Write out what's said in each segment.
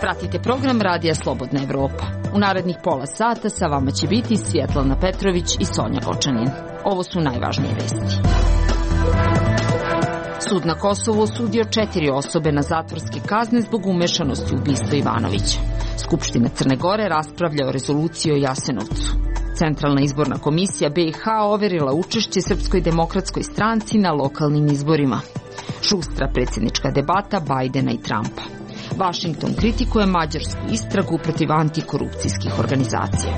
Pratite program Radija Slobodna Evropa. U narednih pola sata sa vama će biti Svjetlana Petrović i Sonja Gočanin. Ovo su najvažnije vesti. Sud na Kosovu osudio 4 osobe na zatvorske kazne zbog umešanosti u ubistvo Ivanovića. Skupština Crne Gore raspravlja o rezoluciji o Jasenovcu. Centralna izborna komisija BiH overila učešće Srpskoj demokratskoj stranci na lokalnim izborima. Šustra predsjednička debata Bajdena i Trumpa. Washington kritikuje mađarsku istragu protiv antikorupcijskih organizacija.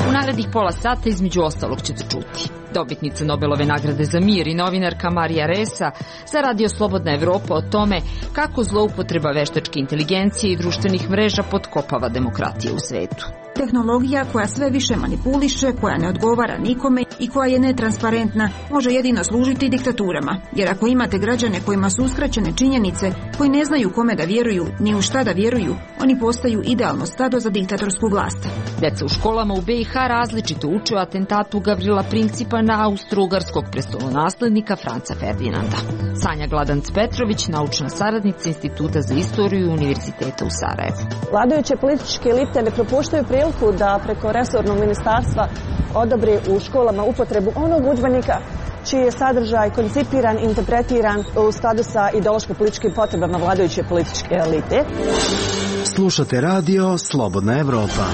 U narednih pola sata između ostalog ćete čuti. Dobitnica Nobelove nagrade za mir i novinarka Marija Ressa za Radio Slobodna Evropa o tome kako zloupotreba veštačke inteligencije i društvenih mreža potkopava demokratiju u svetu. Tehnologija koja sve više manipuliše, koja ne odgovara nikome i koja je netransparentna, može jedino služiti diktaturama. Jer ako imate građane kojima su uskraćene činjenice, koji ne znaju kome da vjeruju, ni u šta da vjeruju, oni postaju idealno stado za diktatorsku vlast. Deca u školama u BiH različito uče o atentatu Gavrila Principa na austro-ugarskog prestolonaslednika Franca Ferdinanda. Sanja Gladanc-Petrović, naučna saradnica Instituta za istoriju Univerziteta u Sarajevu. Vladajuće političke elite ne propuštaju priliku da preko resornog ministarstva odobri u školama upotrebu onog udžbenika čiji je sadržaj koncipiran, interpretiran u skladu sa ideološko-političkim potrebama vladajuće političke elite. Slušate radio Slobodna Evropa.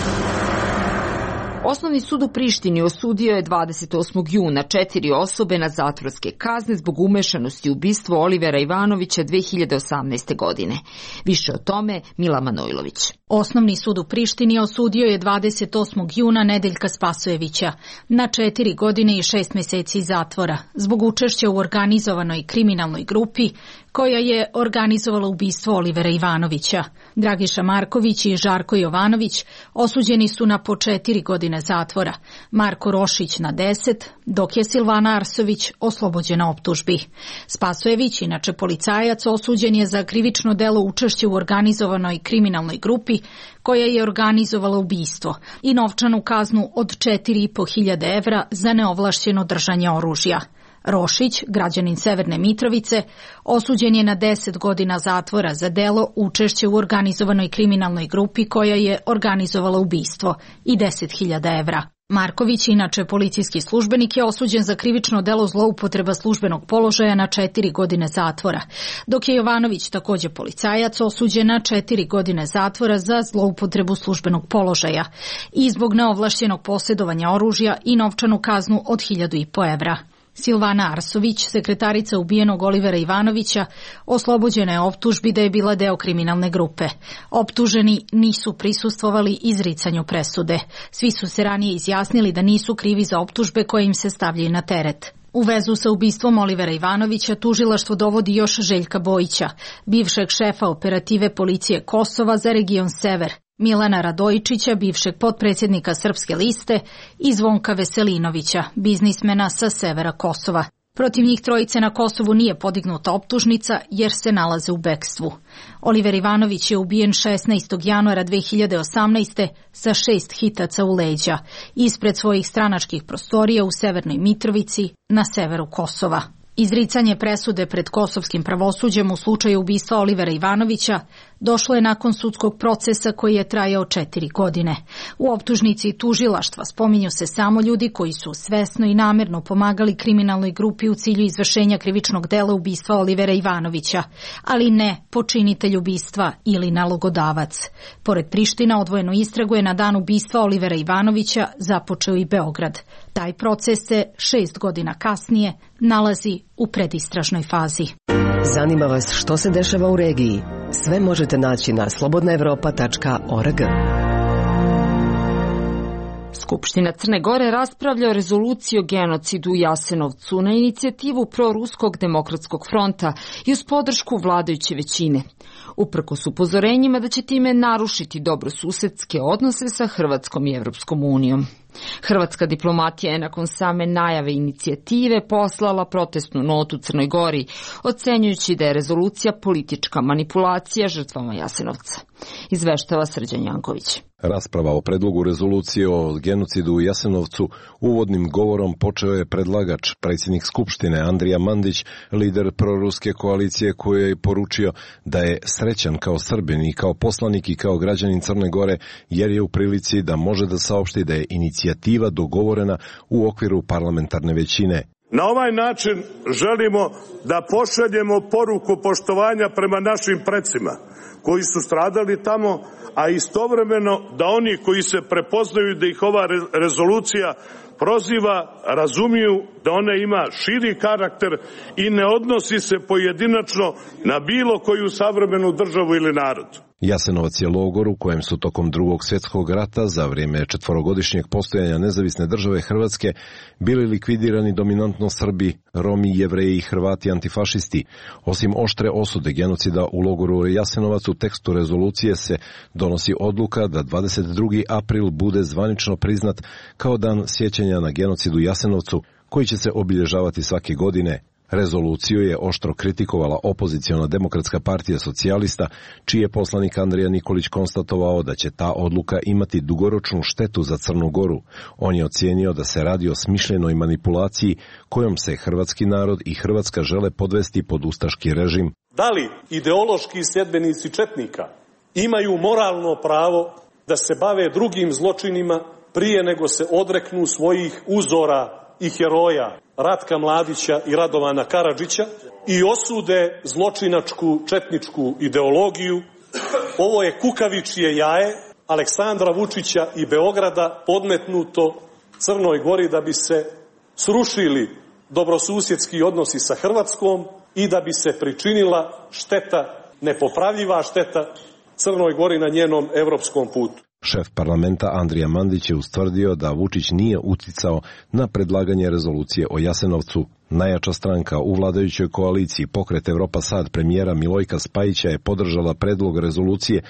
Osnovni sud u Prištini osudio je 28. juna 4 osobe na zatvorske kazne zbog umešanosti u ubistvo Olivera Ivanovića 2018. godine. Više o tome Mila Manojlović. Osnovni sud u Prištini osudio je 28. juna Nedeljka Spasojevića na 4 godine i 6 mjeseci zatvora zbog učešća u organizovanoj kriminalnoj grupi koja je organizovala ubistvo Olivera Ivanovića. Dragiša Marković i Žarko Jovanović osuđeni su na po 4 godine zatvora, Marko Rošić na 10, dok je Silvana Arsović oslobođena optužbi. Spasojević, inače policajac, osuđen je za krivično delo učešće u organizovanoj kriminalnoj grupi koja je organizovala ubistvo i novčanu kaznu od 4.500 evra za neovlašćeno držanje oružja. Rošić, građanin Severne Mitrovice, osuđen je na 10 godina zatvora za delo učešće u organizovanoj kriminalnoj grupi koja je organizovala ubistvo i 10.000 evra. Marković, inače policijski službenik, je osuđen za krivično delo zloupotreba službenog položaja na 4 godine zatvora, dok je Jovanović, također policajac, osuđen na 4 godine zatvora za zloupotrebu službenog položaja i zbog neovlašćenog posjedovanja oružja i novčanu kaznu od 1.500 evra. Silvana Arsović, sekretarica ubijenog Olivera Ivanovića, oslobođena je optužbi da je bila deo kriminalne grupe. Optuženi nisu prisustvovali izricanju presude. Svi su se ranije izjasnili da nisu krivi za optužbe koje im se stavljaju na teret. U vezu sa ubistvom Olivera Ivanovića tužilaštvo dovodi još Željka Bojića, bivšeg šefa operative policije Kosova za region Sever, Milana Radojičića, bivšeg potpredsjednika Srpske liste, i Zvonka Veselinovića, biznismena sa severa Kosova. Protiv njih trojice na Kosovu nije podignuta optužnica jer se nalaze u bekstvu. Oliver Ivanović je ubijen 16. januara 2018. sa 6 hitaca u leđa ispred svojih stranačkih prostorija u Severnoj Mitrovici na severu Kosova. Izricanje presude pred kosovskim pravosuđem u slučaju ubistva Olivera Ivanovića došlo je nakon sudskog procesa koji je trajao 4 godine. U optužnici tužilaštva spominju se samo ljudi koji su svesno i namjerno pomagali kriminalnoj grupi u cilju izvršenja krivičnog dela ubistva Olivera Ivanovića, ali ne počinitelj ubistva ili nalogodavac. Pored Priština, odvojenu istragu je na dan ubistva Olivera Ivanovića započeo i Beograd. Taj proces se 6 godina kasnije nalazi u predistražnoj fazi. Zanima vas što se dešava u regiji? Sve možete naći na slobodnaevropa.org. Skupština Crne Gore raspravlja o rezoluciji o genocidu u Jasenovcu na inicijativu proruskog demokratskog fronta i uz podršku vladajuće većine. uprkos upozorenjima da će time narušiti dobrosusedske odnose sa Hrvatskom i Evropskom unijom. Hrvatska diplomatija je nakon same najave inicijative poslala protestnu notu Crnoj Gori, ocenjujući da je rezolucija politička manipulacija žrtvama Jasenovca. Izveštava Srđan Janković. Rasprava o predlogu rezolucije o genocidu u Jasenovcu uvodnim govorom počeo je predlagač, predsjednik Skupštine Andrija Mandić, lider proruske koalicije, koji je poručio da je srećan kao Srbin i kao poslanik i kao građanin Crne Gore, jer je u prilici da može da saopšti da je inicijativa dogovorena u okviru parlamentarne većine. Na ovaj način želimo da pošaljemo poruku poštovanja prema našim precima koji su stradali tamo, a istovremeno da oni koji se prepoznaju da ih ova rezolucija proziva, razumiju da ona ima širi karakter i ne odnosi se pojedinačno na bilo koju savremenu državu ili narod. Jasenovac je logor u kojem su tokom Drugog svjetskog rata za vrijeme četvorogodišnjeg postojanja nezavisne države Hrvatske bili likvidirani dominantno Srbi, Romi, Jevreji i Hrvati antifašisti. Osim oštre osude genocida u logoru Jasenovac, u tekstu rezolucije se donosi odluka da 22. april bude zvanično priznat kao dan sjećanja na genocid u Jasenovcu, koji će se obilježavati svake godine. Rezoluciju je oštro kritikovala opoziciona Demokratska partija socijalista, čiji je poslanik Andrija Nikolić konstatovao da će ta odluka imati dugoročnu štetu za Crnu Goru. On je ocijenio da se radi o smišljenoj manipulaciji kojom se hrvatski narod i Hrvatska žele podvesti pod ustaški režim. Da li ideološki sljedbenici četnika imaju moralno pravo da se bave drugim zločinima prije nego se odreknu svojih uzora i heroja Ratka Mladića i Radovana Karadžića i osude zločinačku četničku ideologiju? Ovo je kukavičje jaje Aleksandra Vučića i Beograda podmetnuto Crnoj Gori da bi se srušili dobrosusjedski odnosi sa Hrvatskom i da bi se pričinila šteta, nepopravljiva šteta Crnoj Gori na njenom evropskom putu. Šef parlamenta Andrija Mandić je ustvrdio da Vučić nije uticao na predlaganje rezolucije o Jasenovcu. Najjača stranka u vladajućoj koaliciji, Pokret Evropa Sad premijera Milojka Spajića, je podržala predlog rezolucije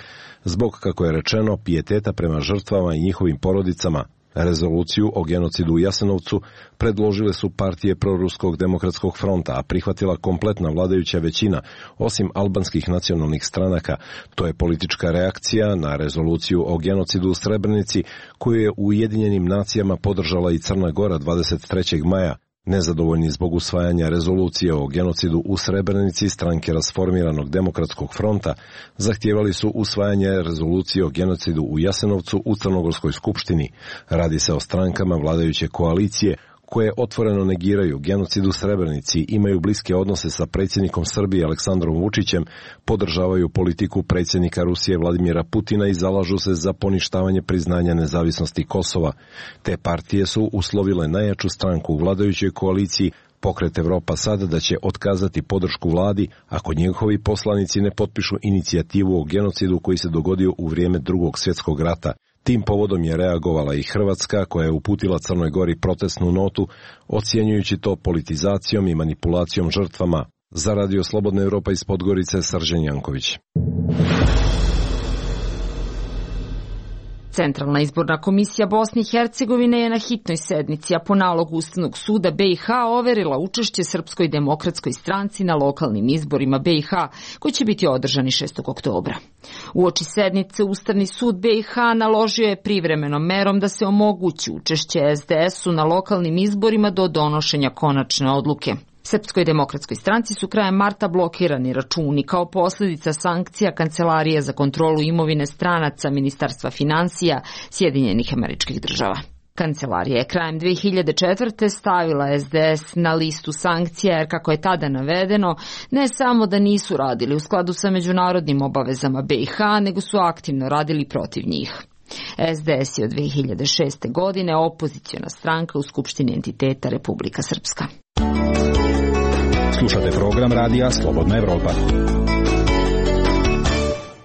zbog, kako je rečeno, pijeteta prema žrtvama i njihovim porodicama. Rezoluciju o genocidu u Jasenovcu predložile su partije Proruskog demokratskog fronta, a prihvatila kompletna vladajuća većina, osim albanskih nacionalnih stranaka. To je politička reakcija na rezoluciju o genocidu u Srebrenici, koju je u Ujedinjenim nacijama podržala i Crna Gora 23. maja. Nezadovoljni zbog usvajanja rezolucije o genocidu u Srebrenici, stranke Rasformiranog demokratskog fronta zahtijevali su usvajanje rezolucije o genocidu u Jasenovcu u Crnogorskoj skupštini. Radi se o strankama vladajuće koalicije koje otvoreno negiraju genocid u Srebrenici, imaju bliske odnose sa predsjednikom Srbije Aleksandrom Vučićem, podržavaju politiku predsjednika Rusije Vladimira Putina i zalažu se za poništavanje priznanja nezavisnosti Kosova. Te partije su uslovile najjaču stranku u vladajućoj koaliciji, Pokret Evropa Sad, da će otkazati podršku vladi ako njihovi poslanici ne potpišu inicijativu o genocidu koji se dogodio u vrijeme Drugog svjetskog rata. Tim povodom je reagovala i Hrvatska, koja je uputila Crnoj Gori protestnu notu, ocjenjujući to politizacijom i manipulacijom žrtvama. Za Radio Slobodna Evropa iz Podgorice, Srđan Janković. Centralna izborna komisija Bosne i Hercegovine je na hitnoj sednici, a po nalogu Ustavnog suda BiH overila učešće Srpskoj demokratskoj stranci na lokalnim izborima BiH, koji će biti održani 6. oktobra. Uoči sednice Ustavni sud BiH naložio je privremenom merom da se omogući učešće SDS-u na lokalnim izborima do donošenja konačne odluke. Srpskoj demokratskoj stranci su krajem marta blokirani računi kao posljedica sankcija Kancelarije za kontrolu imovine stranaca Ministarstva financija Sjedinjenih Američkih Država. Kancelarija je krajem 2004. stavila SDS na listu sankcija jer, kako je tada navedeno, ne samo da nisu radili u skladu sa međunarodnim obavezama BiH, nego su aktivno radili protiv njih. SDS je od 2006. godine opoziciona stranka u Skupštini entiteta Republika Srpska. Slušate program radija Slobodna Evropa.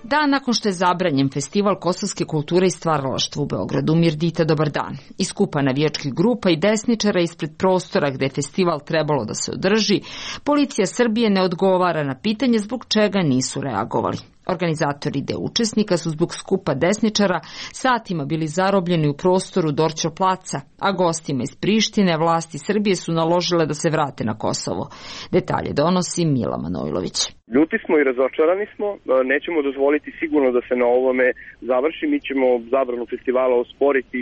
Dan nakon što je zabranjen festival kosovske kulture i stvaralaštva u Beogradu, Mirdita, dobar dan. Iz skupa navijačkih grupa i desničara ispred prostora gde je festival trebalo da se održi, policija Srbije ne odgovara na pitanje zbog čega nisu reagovali. Organizatori deo učesnika su zbog skupa desničara satima bili zarobljeni u prostoru Dorćol placa, a gostima iz Prištine vlasti Srbije su naložile da se vrate na Kosovo. Detalje donosi Mila Manojlović. Ljuti smo i razočarani smo, nećemo dozvoliti sigurno da se na ovome završi, mi ćemo zabranu festivala osporiti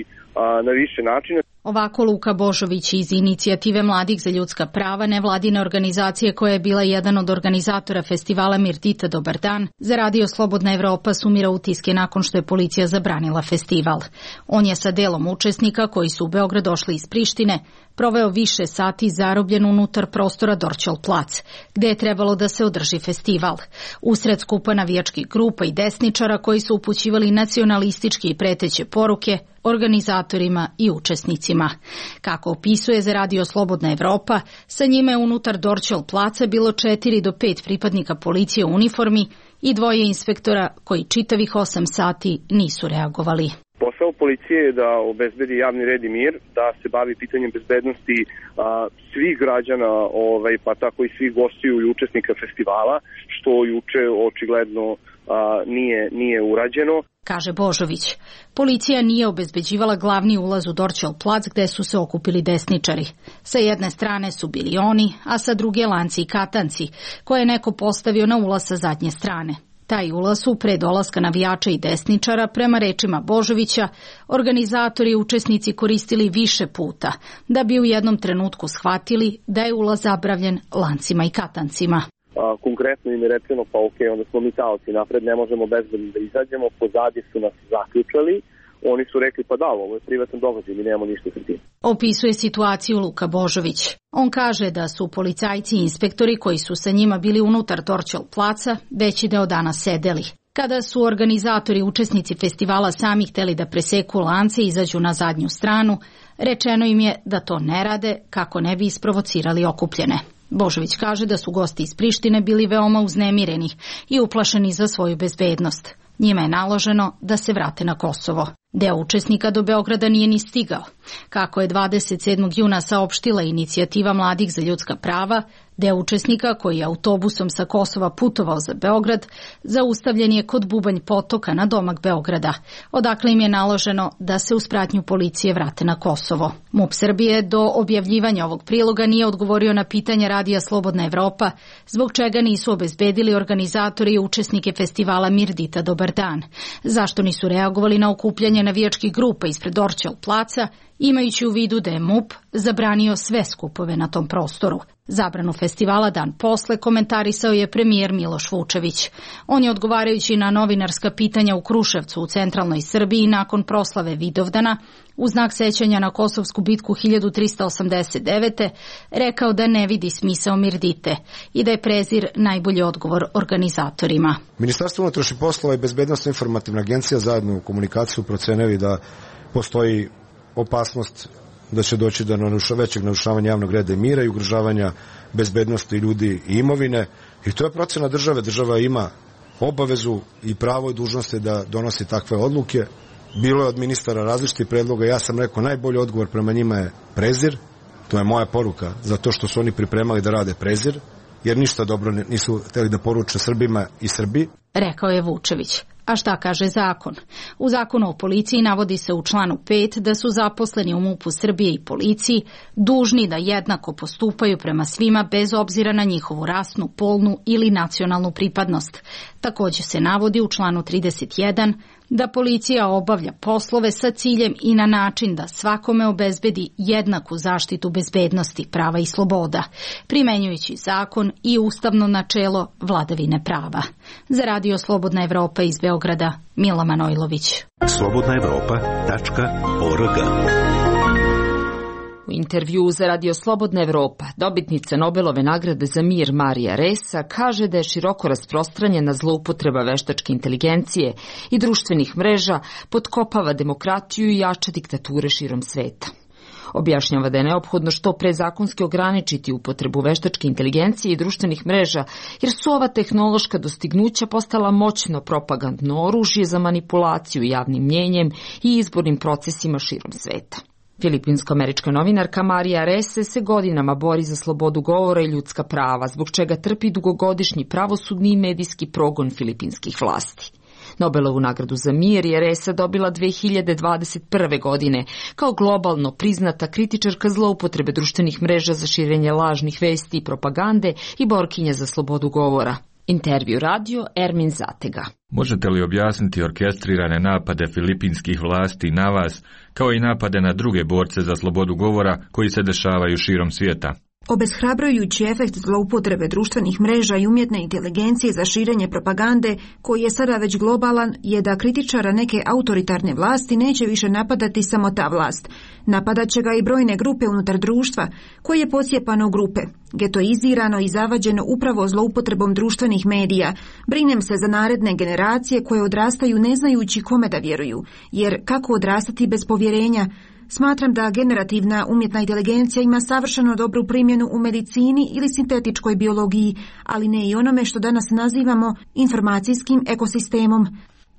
na više načina. Ovako Luka Božović iz Inicijative mladih za ljudska prava, nevladine organizacije koja je bila jedan od organizatora festivala Mirdita Dobar dan, za Radio Slobodna Evropa sumira utiske nakon što je policija zabranila festival. On je sa delom učesnika koji su u Beograd došli iz Prištine proveo više sati zarobljen unutar prostora Dorćol plac, gde je trebalo da se održi festival. Usred skupa navijačkih grupa i desničara koji su upućivali nacionalističke i preteće poruke organizatorima i učesnicima. Kako opisuje za Radio Slobodna Evropa, sa njima je unutar Dorćol placa bilo 4 do 5 pripadnika policije u uniformi i 2 inspektora koji čitavih 8 sati nisu reagovali. Posao policije je da obezbedi javni red i mir, da se bavi pitanjem bezbednosti svih građana, pa tako i svih gostiju i učesnika festivala, što juče očigledno nije urađeno. Kaže Božović, policija nije obezbeđivala glavni ulaz u Dorćol plac gde su se okupili desničari. Sa jedne strane su bili oni, a sa druge lanci i katanci, koje je neko postavio na ulaz sa zadnje strane. Taj ulaz su pre dolaska navijača i desničara, prema rečima Božovića, organizatori i učesnici koristili više puta, da bi u jednom trenutku shvatili da je ulaz zabranjen lancima i katancima. Konkretno im je rečeno, pa onda smo mi taoci, napred ne možemo bezbedno da izađemo, pozadi su nas zaključali, oni su rekli pa da, ovo je privatan događaj, mi nemamo ništa sa tim. Opisuje situaciju Luka Božović. On kaže da su policajci i inspektori koji su sa njima bili unutar Dorćol placa veći deo dana sedeli. Kada su organizatori i učesnici festivala sami hteli da preseku lance i izađu na zadnju stranu, rečeno im je da to ne rade kako ne bi isprovocirali okupljene. Božović kaže da su gosti iz Prištine bili veoma uznemireni i uplašeni za svoju bezbednost. Njima je naloženo da se vrate na Kosovo. Deo učesnika do Beograda nije ni stigao. Kako je 27. juna saopštila Inicijativa mladih za ljudska prava, deo učesnika koji je autobusom sa Kosova putovao za Beograd, zaustavljen je kod Bubanj potoka na domak Beograda, odakle im je naloženo da se uz pratnju policije vrate na Kosovo. MUP Srbije do objavljivanja ovog priloga nije odgovorio na pitanja Radija Slobodna Evropa, zbog čega nisu obezbedili organizatori i učesnike festivala Mirdita Dobar dan, zašto nisu reagovali na okupljanje navijačkih grupa ispred Dorćol placa, imajući u vidu da je MUP zabranio sve skupove na tom prostoru. Zabranu festivala dan posle komentarisao je premijer Miloš Vučević. On je odgovarajući na novinarska pitanja u Kruševcu u centralnoj Srbiji nakon proslave Vidovdana, u znak sećanja na Kosovsku bitku 1389. rekao da ne vidi smisao Mirdite i da je prezir najbolji odgovor organizatorima. Ministarstvo unutrašnjih poslova i Bezbednosna informativna agencija zajedno u komunikaciju procenili da postoji opasnost da će doći do većeg narušavanja javnog reda i mira i ugrožavanja bezbednosti ljudi i imovine. I to je procena države. Država ima obavezu i pravo i dužnosti da donosi takve odluke. Bilo je od ministara različitih predloga. Ja sam rekao, najbolji odgovor prema njima je prezir. To je moja poruka, zato što su oni pripremali da rade prezir, jer ništa dobro nisu hteli da poruče Srbima i Srbiji. Rekao je Vučević. A šta kaže zakon? U zakonu o policiji navodi se u članu 5 da su zaposleni u MUP-u Srbije i policiji dužni da jednako postupaju prema svima bez obzira na njihovu rasnu, polnu ili nacionalnu pripadnost. Također se navodi u članu 31 da policija obavlja poslove sa ciljem i na način da svakome obezbedi jednaku zaštitu bezbednosti, prava i sloboda, primenjujući zakon i ustavno načelo vladavine prava. Za Radio Slobodna Evropa iz Beograda, Mila Manojlović. slobodnaevropa.org. U intervjuu za Radio Slobodna Evropa, dobitnica Nobelove nagrade za mir Marija Ressa kaže da je široko rasprostranjena zloupotreba veštačke inteligencije i društvenih mreža potkopava demokratiju i jača diktature širom sveta. Objašnjava da je neophodno što pre zakonski ograničiti upotrebu veštačke inteligencije i društvenih mreža, jer su ova tehnološka dostignuća postala moćno propagandno oružje za manipulaciju javnim mnjenjem i izbornim procesima širom sveta. Filipinsko-američka novinarka Marija Rese se godinama bori za slobodu govora i ljudska prava, zbog čega trpi dugogodišnji pravosudni i medijski progon filipinskih vlasti. Nobelovu nagradu za mir je Resa dobila 2021. godine kao globalno priznata kritičarka zloupotrebe društvenih mreža za širenje lažnih vesti i propagande i borkinja za slobodu govora. Intervju radio Ermin Zatega. Možete li objasniti orkestrirane napade filipinskih vlasti na vas, kao i napade na druge borce za slobodu govora koji se dešavaju širom svijeta? Obeshrabrujući efekt zloupotrebe društvenih mreža i umjetne inteligencije za širenje propagande, koji je sada već globalan, je da kritičara neke autoritarne vlasti neće više napadati samo ta vlast. Napadat će ga i brojne grupe unutar društva, koje je posjepano u grupe, getoizirano i zavađeno upravo zloupotrebom društvenih medija. Brinem se za naredne generacije koje odrastaju ne znajući kome da vjeruju, jer kako odrastati bez povjerenja? Smatram da generativna umjetna inteligencija ima savršeno dobru primjenu u medicini ili sintetičkoj biologiji, ali ne i onome što danas nazivamo informacijskim ekosistemom.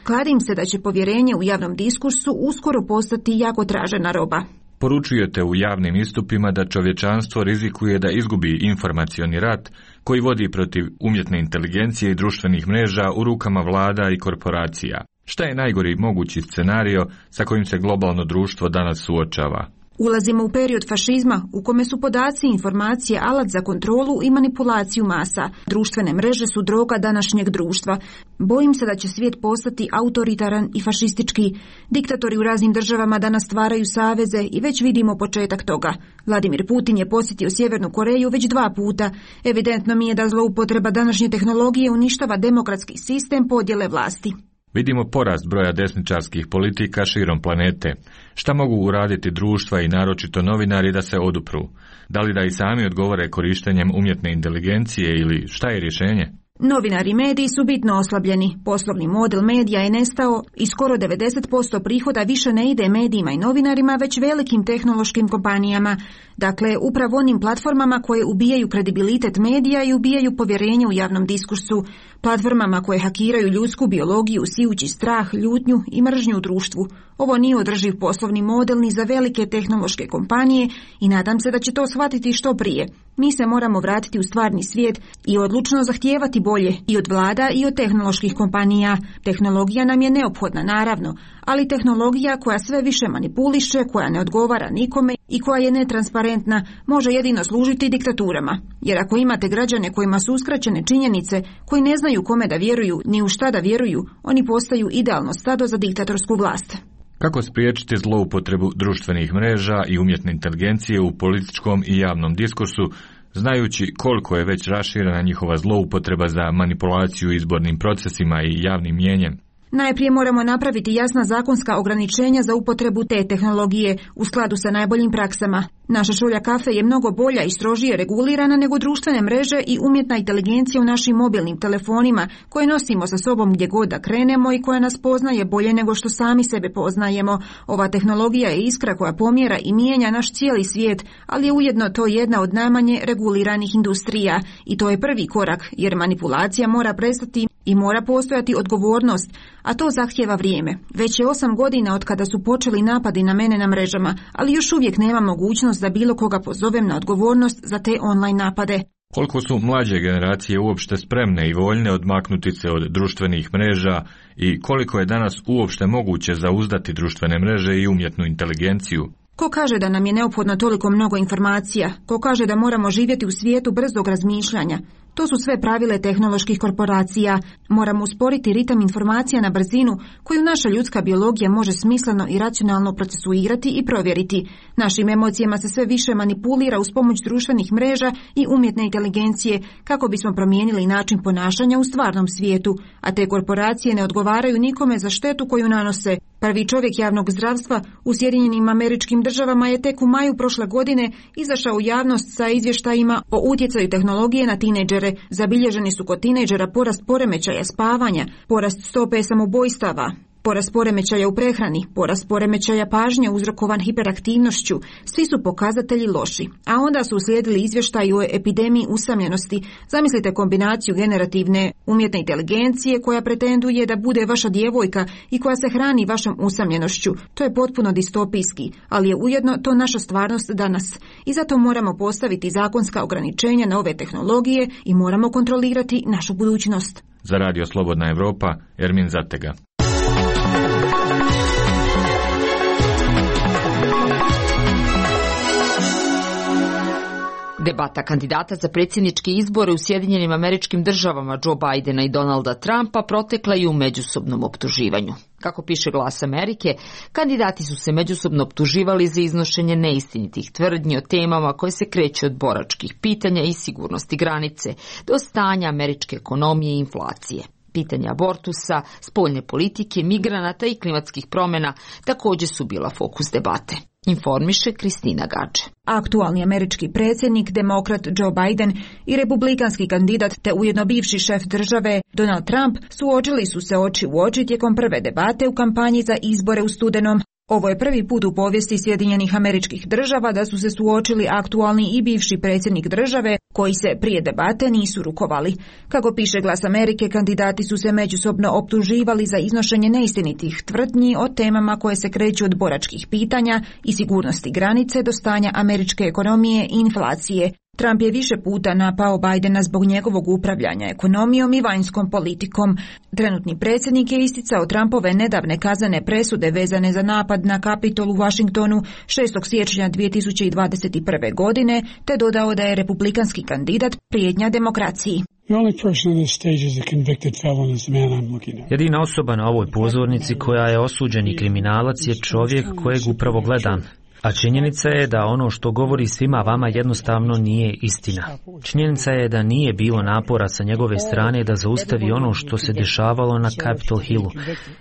Kladim se da će povjerenje u javnom diskursu uskoro postati jako tražena roba. Poručujete u javnim istupima da čovječanstvo rizikuje da izgubi informacioni rat koji vodi protiv umjetne inteligencije i društvenih mreža u rukama vlada i korporacija. Šta je najgori mogući scenario sa kojim se globalno društvo danas suočava? Ulazimo u period fašizma u kome su podaci i informacije alat za kontrolu i manipulaciju masa. Društvene mreže su droga današnjeg društva. Bojim se da će svijet postati autoritaran i fašistički. Diktatori u raznim državama danas stvaraju saveze i već vidimo početak toga. Vladimir Putin je posjetio Sjevernu Koreju već 2 puta. Evidentno mi je da zloupotreba današnje tehnologije uništava demokratski sistem podjele vlasti. Vidimo porast broja desničarskih politika širom planete. Šta mogu uraditi društva i naročito novinari da se odupru? Da li da i sami odgovore korištenjem umjetne inteligencije ili šta je rješenje? Novinari i mediji su bitno oslabljeni. Poslovni model medija je nestao i skoro 90% prihoda više ne ide medijima i novinarima, već velikim tehnološkim kompanijama. Dakle, upravo onim platformama koje ubijaju kredibilitet medija i ubijaju povjerenje u javnom diskursu. Platformama koje hakiraju ljudsku biologiju, sijući strah, ljutnju i mržnju u društvu. Ovo nije održiv poslovni model ni za velike tehnološke kompanije i nadam se da će to shvatiti što prije. Mi se moramo vratiti u stvarni svijet i odlučno zahtijevati bolje i od vlada i od tehnoloških kompanija. Tehnologija nam je neophodna, naravno, ali tehnologija koja sve više manipuliše, koja ne odgovara nikome i koja je netransparentna, može jedino služiti diktaturama. Jer ako imate građane kojima su uskraćene činjenice, koji ne znaju kome da vjeruju ni u šta da vjeruju, oni postaju idealno stado za diktatorsku vlast. Kako spriječiti zloupotrebu društvenih mreža i umjetne inteligencije u političkom i javnom diskursu, znajući koliko je već raširena njihova zloupotreba za manipulaciju izbornim procesima i javnim mnijenjem? Najprije moramo napraviti jasna zakonska ograničenja za upotrebu te tehnologije u skladu sa najboljim praksama. Naša šolja kafe je mnogo bolja i strožije regulirana nego društvene mreže i umjetna inteligencija u našim mobilnim telefonima koje nosimo sa sobom gdje god da krenemo i koja nas poznaje bolje nego što sami sebe poznajemo. Ova tehnologija je iskra koja pomjera i mijenja naš cijeli svijet, ali je ujedno to jedna od najmanje reguliranih industrija i to je prvi korak jer manipulacija mora prestati i mora postojati odgovornost, a to zahtijeva vrijeme. Već je 8 godina od kada su počeli napadi na mene na mrežama, ali još uvijek nema mogućnost da bilo koga pozovem na odgovornost za te online napade. Koliko su mlađe generacije uopšte spremne i voljne odmaknuti se od društvenih mreža i koliko je danas uopšte moguće zauzdati društvene mreže i umjetnu inteligenciju? Ko kaže da nam je neophodno toliko mnogo informacija? Ko kaže da moramo živjeti u svijetu brzog razmišljanja? To su sve pravile tehnoloških korporacija. Moramo usporiti ritam informacija na brzinu koju naša ljudska biologija može smisleno i racionalno procesuirati i provjeriti. Našim emocijama se sve više manipulira uz pomoć društvenih mreža i umjetne inteligencije kako bismo promijenili način ponašanja u stvarnom svijetu, a te korporacije ne odgovaraju nikome za štetu koju nanose. Prvi čovjek javnog zdravstva u Sjedinjenim Američkim Državama je tek u maju prošle godine izašao u javnost sa izvještajima o utjecaju tehnologije na tinejdžere. Zabilježeni su kod tinejdžera porast poremećaja spavanja, porast stope samoubojstava, Porast poremećaja u prehrani, porast poremećaja pažnje uzrokovan hiperaktivnošću, svi su pokazatelji loši. A onda su uslijedili izvještaji o epidemiji usamljenosti. Zamislite kombinaciju generativne umjetne inteligencije koja pretenduje da bude vaša djevojka i koja se hrani vašom usamljenošću. To je potpuno distopijski, ali je ujedno to naša stvarnost danas. I zato moramo postaviti zakonska ograničenja na ove tehnologije i moramo kontrolirati našu budućnost. Za Radio Slobodna Evropa, Ermin Zatega. Debata kandidata za predsjedničke izbore u Sjedinjenim Američkim Državama Joe Bidena i Donalda Trumpa protekla je u međusobnom optuživanju. Kako piše Glas Amerike, kandidati su se međusobno optuživali za iznošenje neistinitih tvrdnji o temama koje se kreću od boračkih pitanja i sigurnosti granice do stanja američke ekonomije i inflacije. Pitanja abortusa, spoljne politike, migranata i klimatskih promjena također su bila fokus debate. Informiše Kristina Gađe. Aktualni američki predsjednik, demokrat Joe Biden i republikanski kandidat te ujedno bivši šef države Donald Trump suočili su se oči u oči tijekom prve debate u kampanji za izbore u studenom. Ovo je prvi put u povijesti Sjedinjenih Američkih Država da su se suočili aktualni i bivši predsjednik države koji se prije debate nisu rukovali. Kako piše Glas Amerike, kandidati su se međusobno optuživali za iznošenje neistinitih tvrdnji o temama koje se kreću od boračkih pitanja i sigurnosti granice do stanja američke ekonomije i inflacije. Trump je više puta napao Bidena zbog njegovog upravljanja ekonomijom i vanjskom politikom. Trenutni predsjednik je isticao Trumpove nedavne kaznene presude vezane za napad na Kapitol u Washingtonu 6. siječnja 2021. godine, te dodao da je republikanski kandidat prijetnja demokraciji. Jedina osoba na ovoj pozornici koja je osuđeni kriminalac je čovjek kojeg upravo gledam. A činjenica je da ono što govori svima vama jednostavno nije istina. Činjenica je da nije bilo napora sa njegove strane da zaustavi ono što se dešavalo na Capitol Hillu.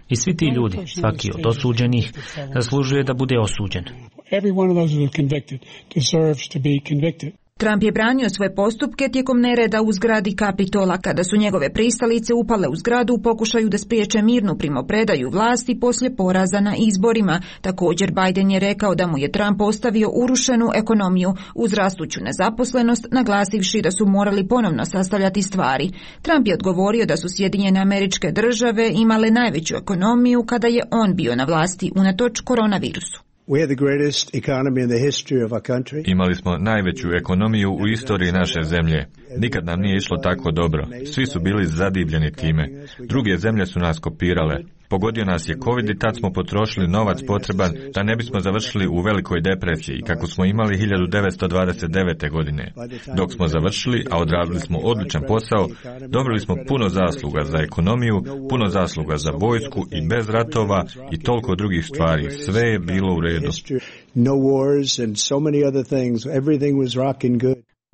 I svi ti ljudi, svaki od osuđenih, zaslužuje da bude osuđen. Trump je branio svoje postupke tijekom nereda u zgradi Kapitola kada su njegove pristalice upale u zgradu u pokušaju da spriječe mirnu primopredaju vlasti poslije poraza na izborima. Također Biden je rekao da mu je Trump ostavio urušenu ekonomiju uz rastuću nezaposlenost, naglasivši da su morali ponovno sastavljati stvari. Trump je odgovorio da su Sjedinjene Američke Države imale najveću ekonomiju kada je on bio na vlasti unatoč koronavirusu. Imali smo najveću ekonomiju u istoriji naše zemlje. Nikad nam nije išlo tako dobro. Svi su bili zadivljeni time. Druge zemlje su nas kopirale. Pogodio nas je COVID i tad smo potrošili novac potreban da ne bismo završili u velikoj depresiji, kako smo imali 1929. godine. Dok smo završili, a odradili smo odličan posao, dobili smo puno zasluga za ekonomiju, puno zasluga za vojsku i bez ratova i toliko drugih stvari. Sve je bilo u redu.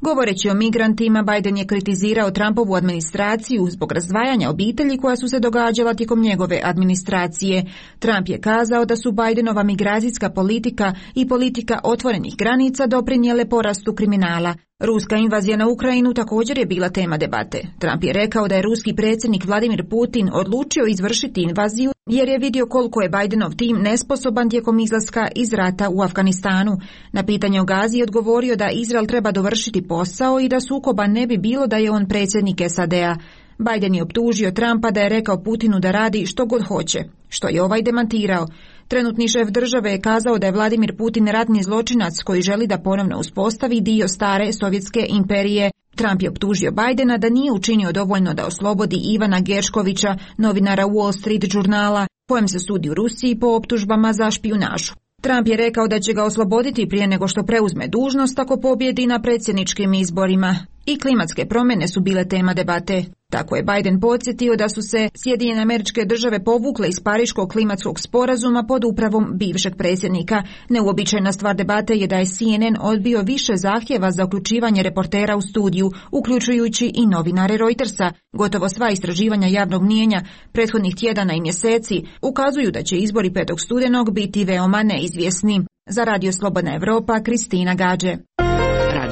Govoreći o migrantima, Biden je kritizirao Trumpovu administraciju zbog razdvajanja obitelji koja su se događala tijekom njegove administracije. Trump je kazao da su Bidenova migracijska politika i politika otvorenih granica doprinijele porastu kriminala. Ruska invazija na Ukrajinu također je bila tema debate. Trump je rekao da je ruski predsjednik Vladimir Putin odlučio izvršiti invaziju jer je vidio koliko je Bidenov tim nesposoban tijekom izlaska iz rata u Afganistanu. Na pitanje o Gazi je odgovorio da Izrael treba dovršiti posao i da sukoba ne bi bilo da je on predsjednik SAD-a. Biden je optužio Trumpa da je rekao Putinu da radi što god hoće, što je ovaj demantirao. Trenutni šef države je kazao da je Vladimir Putin ratni zločinac koji želi da ponovno uspostavi dio stare sovjetske imperije. Trump je optužio Bidena da nije učinio dovoljno da oslobodi Ivana Gerškovića, novinara Wall Street žurnala, kojem se sudi u Rusiji po optužbama za špijunažu. Trump je rekao da će ga osloboditi prije nego što preuzme dužnost ako pobjedi na predsjedničkim izborima. I klimatske promjene su bile tema debate. Tako je Biden podsjetio da su se Sjedinjene Američke Države povukle iz Pariškog klimatskog sporazuma pod upravom bivšeg predsjednika. Neuobičajena stvar debate je da je CNN odbio više zahtjeva za uključivanje reportera u studiju, uključujući i novinare Reutersa. Gotovo sva istraživanja javnog mnijenja prethodnih tjedana i mjeseci ukazuju da će izbori 5. studenog biti veoma neizvjesni. Za Radio Slobodna Evropa, Kristina Gađe.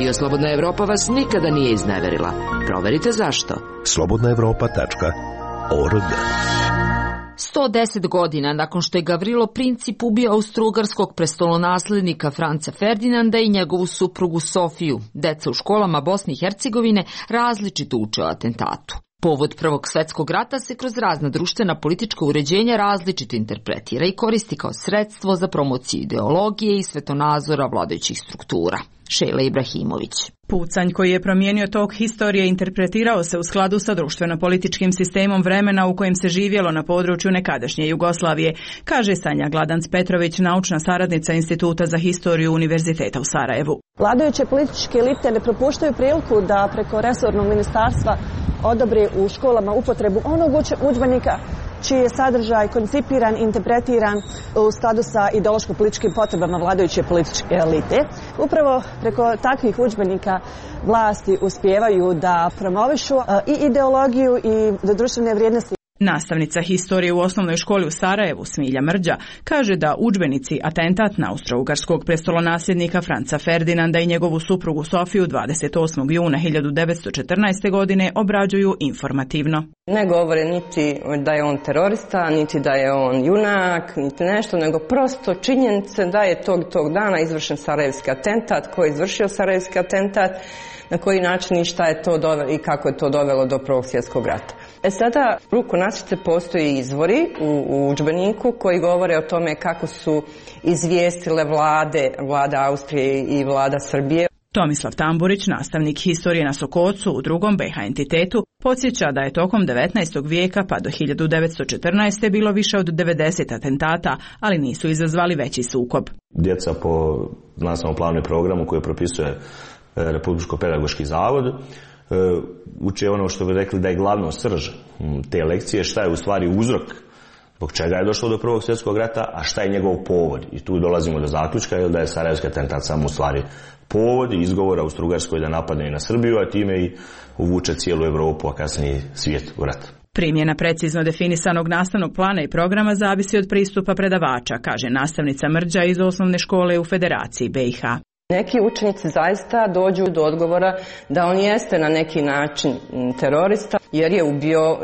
Radio Slobodna Evropa vas nikada nije izneverila. Proverite zašto. slobodnaevropa.org. 110 godina nakon što je Gavrilo Princip ubio austrougarskog prestolonaslednika Franca Ferdinanda i njegovu suprugu Sofiju, deca u školama Bosne i Hercegovine različito uče o atentatu. Povod Prvog svjetskog rata se kroz razna društvena politička uređenja različito interpretira i koristi kao sredstvo za promociju ideologije i svetonazora vladajućih struktura. Šejla Ibrahimović. Pucanj koji je promijenio tok historije interpretirao se u skladu sa društveno-političkim sistemom vremena u kojem se živjelo na području nekadašnje Jugoslavije, kaže Sanja Gladanc-Petrović, naučna saradnica Instituta za historiju Univerziteta u Sarajevu. Vladajuće političke elite ne propuštaju priliku da preko resornog ministarstva odobre u školama upotrebu onog udžbenika čiji je sadržaj koncipiran, interpretiran u skladu sa ideološko-političkim potrebama vladajuće političke elite. Upravo preko takvih udžbenika vlasti uspijevaju da promovišu i ideologiju i društvene vrijednosti. Nastavnica historije u osnovnoj školi u Sarajevu, Smilja Mrđa, kaže da udžbenici atentat na austrougarskog prestolonasljednika Franca Ferdinanda i njegovu suprugu Sofiju 28. juna 1914. godine obrađuju informativno. Ne govore niti da je on terorista, niti da je on junak, niti nešto, nego prosto činjenice da je tog dana izvršen sarajevski atentat, ko je izvršio sarajevski atentat, na koji način i šta je to dovelo i kako je to dovelo do Prvog svjetskog rata. Sada ruku nasice postoje izvori u udžbeniku koji govore o tome kako su izvijestile vlada Austrije i vlada Srbije. Tomislav Tamburić, nastavnik historije na Sokocu u drugom BiH entitetu, podsjeća da je tokom 19. vijeka pa do 1914. bilo više od 90 atentata, ali nisu izazvali veći sukob. Djeca po nastavnom planu i programu koje propisuje Republičko-pedagoški zavod uče ono što bi rekli da je glavno srž te lekcije, šta je u stvari uzrok zbog čega je došlo do Prvog svjetskog rata, a šta je njegov povod. I tu dolazimo do zaključka da je sarajevski atentat samo u stvari povod i izgovor Austrougarskoj da napadne i na Srbiju, a time i uvuče cijelu Europu, a kasnije svijet u rat. Primjena precizno definisanog nastavnog plana i programa zavisi od pristupa predavača, kaže nastavnica Mrđa iz osnovne škole u Federaciji BiH. Neki učenici zaista dođu do odgovora da on jeste na neki način terorista jer je ubio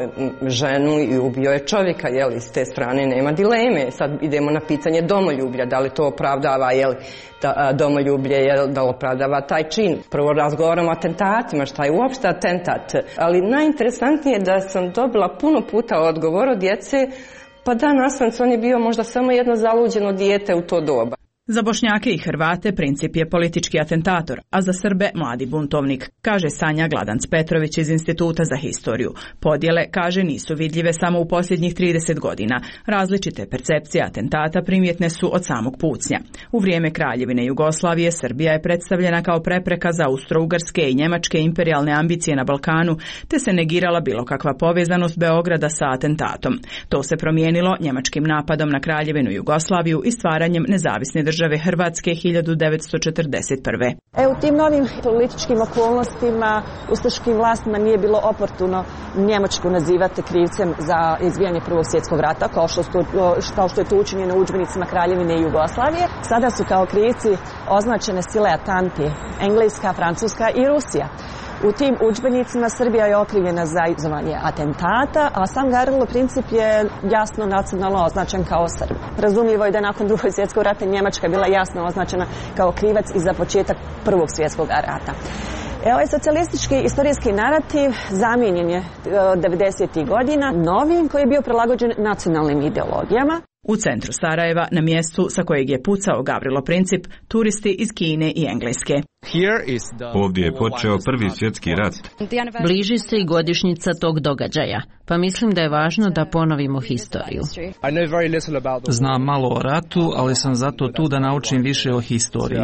ženu i ubio je čovjeka, s te strane nema dileme. Sad idemo na pitanje domoljublja, da li to opravdava, domoljublje, da li opravdava taj čin. Prvo razgovaramo o atentatima, šta je uopšte atentat. Ali najinteresantnije je da sam dobila puno puta odgovor od djece, pa da, nastavnic, on je bio možda samo jedno zaluđeno dijete u to doba. Za Bošnjake i Hrvate Princip je politički atentator, a za Srbe mladi buntovnik, kaže Sanja Gladanc-Petrović iz Instituta za historiju. Podjele, kaže, nisu vidljive samo u posljednjih 30 godina. Različite percepcije atentata primjetne su od samog pucnja. U vrijeme Kraljevine Jugoslavije Srbija je predstavljena kao prepreka za austrougarske i njemačke imperijalne ambicije na Balkanu, te se negirala bilo kakva povezanost Beograda sa atentatom. To se promijenilo njemačkim napadom na Kraljevinu Jugoslaviju i stvaranjem nezavisne države Hrvatske 1941. U tim novim političkim okolnostima ustaškim vlastima nije bilo oportuno Njemačku nazivati krivcem za izbijanje Prvog svjetskog rata, kao što je to učinjeno u udžbenicima Kraljevine Jugoslavije. Sada su kao krivci označene sile atanti, Engleska, Francuska i Rusija. U tim udžbenicima Srbija je okrivljena za izazvanje atentata, a sam Gavrilo Princip je jasno nacionalno označen kao Srb. Razumljivo je da nakon Drugog svjetskog rata Njemačka bila jasno označena kao krivac i za početak Prvog svjetskog rata. Ovaj socijalistički istorijski narativ zamijenjen je 90. godina novim koji je bio prilagođen nacionalnim ideologijama. U centru Sarajeva, na mjestu sa kojeg je pucao Gavrilo Princip, turisti iz Kine i Engleske. Ovdje je počeo Prvi svjetski rat. Bliži se i godišnjica tog događaja, pa mislim da je važno da ponovimo historiju. Znam malo o ratu, ali sam zato tu da naučim više o historiji.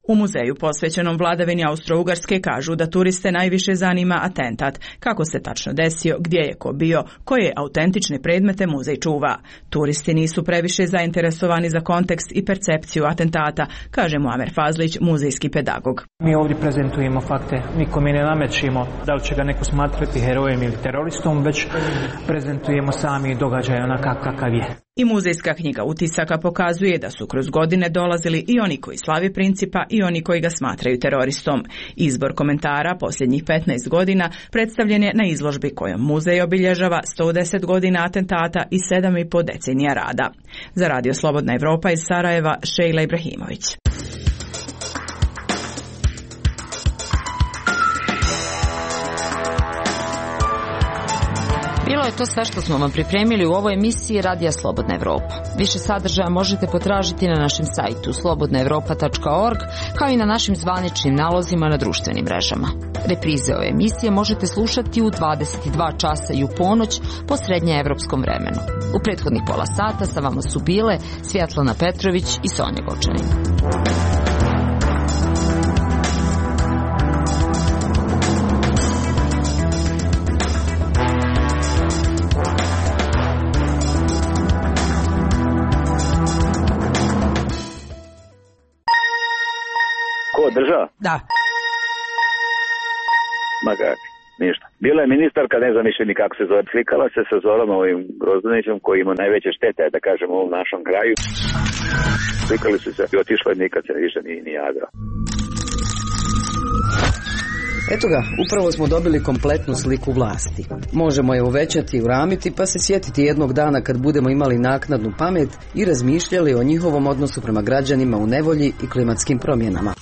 U muzeju posvećenom vladavini Austro-Ugarske kažu da turiste najviše zanima atentat, kako se tačno desio, gdje je ko bio, koje autentične predmete muzej čuva. Turisti nisu previše zainteresovani za kontekst i percepciju atentata, kaže Muamer Fazlić, muzejski pedagog. pedagog. Mi ovdje prezentujemo fakte, nikome ne namećemo da li će ga neko smatrati herojem ili teroristom, već prezentujemo sami događaj onakav kakav je. I muzejska knjiga utisaka pokazuje da su kroz godine dolazili i oni koji slavi Principa i oni koji ga smatraju teroristom. Izbor komentara posljednjih 15 godina predstavljen je na izložbi kojom muzej obilježava 110 godina atentata i 7,5 decenija rada. Za Radio Slobodna Evropa iz Sarajeva, Šejla Ibrahimović. Bilo je to sve što smo vam pripremili u ovoj emisiji Radija Slobodna Evropa. Više sadržaja možete potražiti na našem sajtu slobodnaevropa.org, kao i na našim zvaničnim nalozima na društvenim mrežama. Reprize ove emisije možete slušati u 22 časa i u ponoć po srednjeevropskom vremenu. U prethodnih pola sata sa vama su bile Svjetlana Petrović i Sonja Gočanin. Država? Da. Ma kako, ništa. Bila je ministarka, ne znam više ni kako se zove, slikala se sa Zorom ovim Grozdanićem koji ima najveće štete, da kažem, u ovom našom kraju. Slikali su se i otišla i nikad se više ni javila. Eto ga, upravo smo dobili kompletnu sliku vlasti. Možemo je uvećati i uramiti pa se sjetiti jednog dana kad budemo imali naknadnu pamet i razmišljali o njihovom odnosu prema građanima u nevolji i klimatskim promjenama.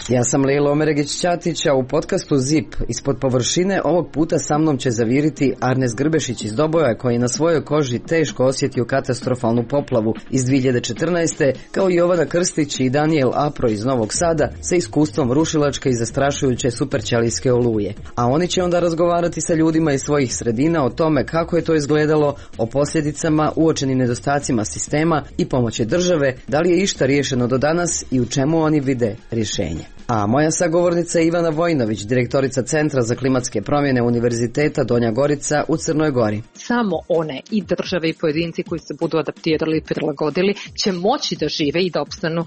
Ja sam Lejla Omeregić-Ćatić, a u podcastu ZIP ispod površine ovog puta sa mnom će zaviriti Arnes Grbešić iz Doboja, koji je na svojoj koži teško osjetio katastrofalnu poplavu iz 2014. kao i Jovana Krstić i Daniel Apro iz Novog Sada sa iskustvom rušilačke i zastrašujuće superćelijske oluje. A oni će onda razgovarati sa ljudima iz svojih sredina o tome kako je to izgledalo, o posljedicama, uočenim nedostacima sistema i pomoći države, da li je išta riješeno do danas i u čemu oni vide rješenje. A moja sagovornica je Ivana Vojnović, direktorica Centra za klimatske promjene Univerziteta Donja Gorica u Crnoj Gori. Samo one i države i pojedinci koji se budu adaptirali i prilagodili će moći da žive i da opstanu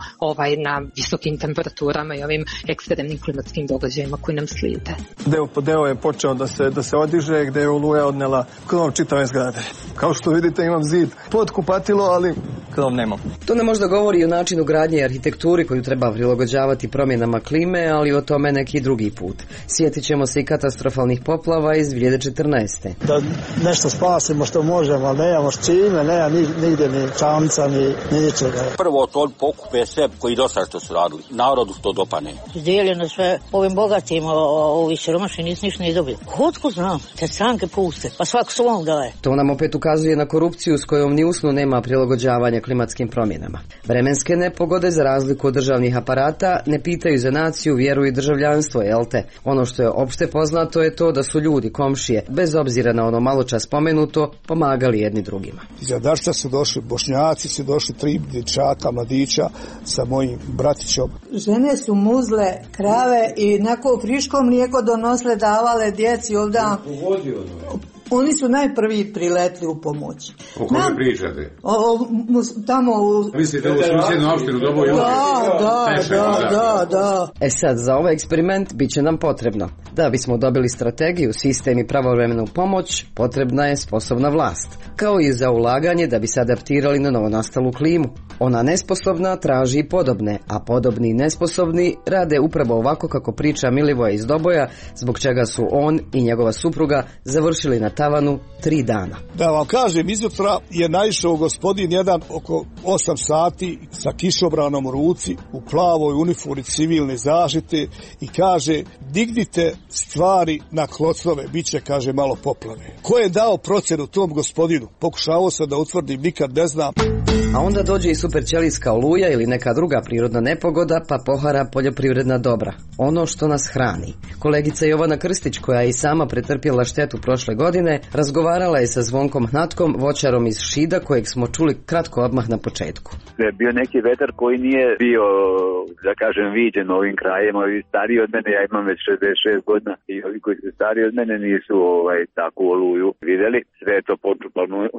na visokim temperaturama i ovim ekstremnim klimatskim događajima koji nam slijede. Deo po deo je počeo da se odiže, gdje je oluja odnela krov čitave zgrade. Kao što vidite, imam zid pod kupatilo, ali krov nemam. To nam možda govori o načinu gradnje i arhitekturi koju treba prilagođavati promjenama klime, ali o tome neki drugi put. Sjetit ćemo se i katastrofalnih poplava iz 2014. Da nešto spasimo što možemo, ali nemamo s čime, nema nigdje ni čamca, ni ničega. Prvo to pokupe sve koji dosta što su radili. Narodu to dopane. Dijeljeno sve ovim bogatim, ovi siromašni nisu ništa ni dobili. Kotko znam, te stranke puste, pa svako svom daje. To nam opet ukazuje na korupciju s kojom ni usnu nema prilagođavanja klimatskim promjenama. Vremenske nepogode, za razliku od državnih aparata, ne pitaju za naciju, vjeru i državljanstvo, jel te? Ono što je opšte poznato je to da su ljudi, komšije, bez obzira na ono malo čas spomenuto, pomagali jedni drugima. Iza Darca su došli Bošnjaci, su došli 3 dječaka, mladića sa mojim bratićom. Žene su muzle krave i neko friško mlijeko donosle, davale djeci ovdje. Oni su najprvi priletli u pomoć. O kome pričate? Tamo u... Mislite u susjednu opštinu Doboj? Da. Sad, za ovaj eksperiment bit će nam potrebno. Da bismo dobili strategiju, sistem i pravovremenu pomoć, potrebna je sposobna vlast. Kao i za ulaganje da bi se adaptirali na novonastalu klimu. Ona nesposobna traži i podobne, a podobni i nesposobni rade upravo ovako kako priča Milivoje iz Doboja, zbog čega su on i njegova supruga završili na tavanu 3 dana. Da vam kažem, izutra je naišao gospodin jedan oko 8 sati sa kišobranom u ruci, u plavoj uniformi civilne zaštite i kaže, dignite stvari na klocove, bit će, kaže, malo poplave. Ko je dao procjenu tom gospodinu? Pokušavao sam da utvrdim, nikad ne znam. A onda dođe i superćelijska oluja ili neka druga prirodna nepogoda, pa pohara poljoprivredna dobra. Ono što nas hrani. Kolegica Jovana Krstić, koja je i sama pretrpjela štetu prošle godine, razgovarala je sa Zvonkom Hnatkom, voćarom iz Šida, kojeg smo čuli kratko odmah na početku. Je bio neki vetar koji nije bio, da kažem, viđen ovim krajem. Ovi stariji od mene, ja imam već 66 godina, i ovi koji su stariji od mene nisu takvu oluju vidjeli. Sve je to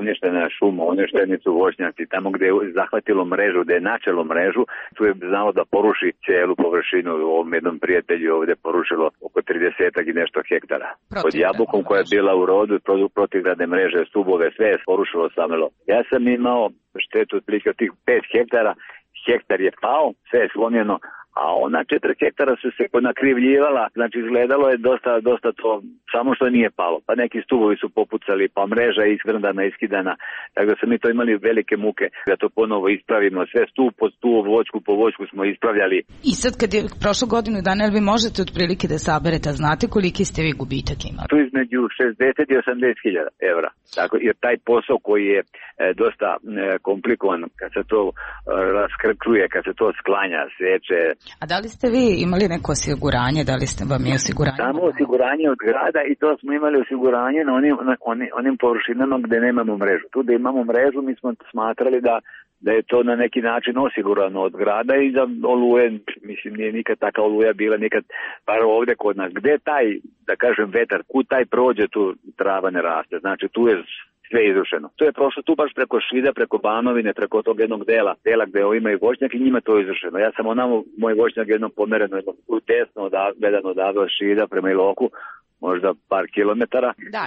uništena šuma, uništeni su voćnjaci. Tamo gdje gde je zahvatilo mrežu, gde je načelo mrežu, tu je znalo da poruši cijelu površinu. Ovom jednom prijatelju ovde porušilo oko 30 i nešto hektara. Pod jabukom koja je bila u rodu, protivgradne mreže, stubove, sve je porušilo samelo. Ja sam imao štetu otprilike od tih 5 hektara, hektar je pao, sve je slomljeno, a ona 4 hektara su se nakrivljivala, znači izgledalo je dosta to, samo što nije palo. Pa neki stubovi su popucali, pa mreža je iskrndana, iskidana, tako da smo mi to imali velike muke da to ponovo ispravimo. Sve stup po stup, voćku po voćku smo ispravljali. I sad kad je prošlo godinu dana, jel vi možete otprilike da saberete, a znate koliki ste vi gubitak imali? Tu između 60 i 80 hiljada evra. Tako, jer taj posao koji je dosta komplikovan, kad se to raskrčuje, kad se to sklanja, seče. A da li ste vi imali neko osiguranje, da li ste vam je osiguranje? Samo osiguranje od grada i to smo imali osiguranje na onim površinama gde nemamo mrežu. Tu da imamo mrežu mi smo smatrali da je to na neki način osigurano od grada i da oluje, mislim nije nikad taka oluja bila, nikad, bar ovde kod nas. Gde taj, da kažem, vetar, kud taj prođe, tu trava ne raste. Znači tu je sve izrušeno. To je prošlo tu baš preko Šida, preko Banovine, preko tog jednog dela gde imaju voćnjak i njima to izrušeno. Ja sam onamo, moj voćnjak jednom pomereno, jednom tesno gledano odavde od Šida prema Iloku, možda par kilometara. Da,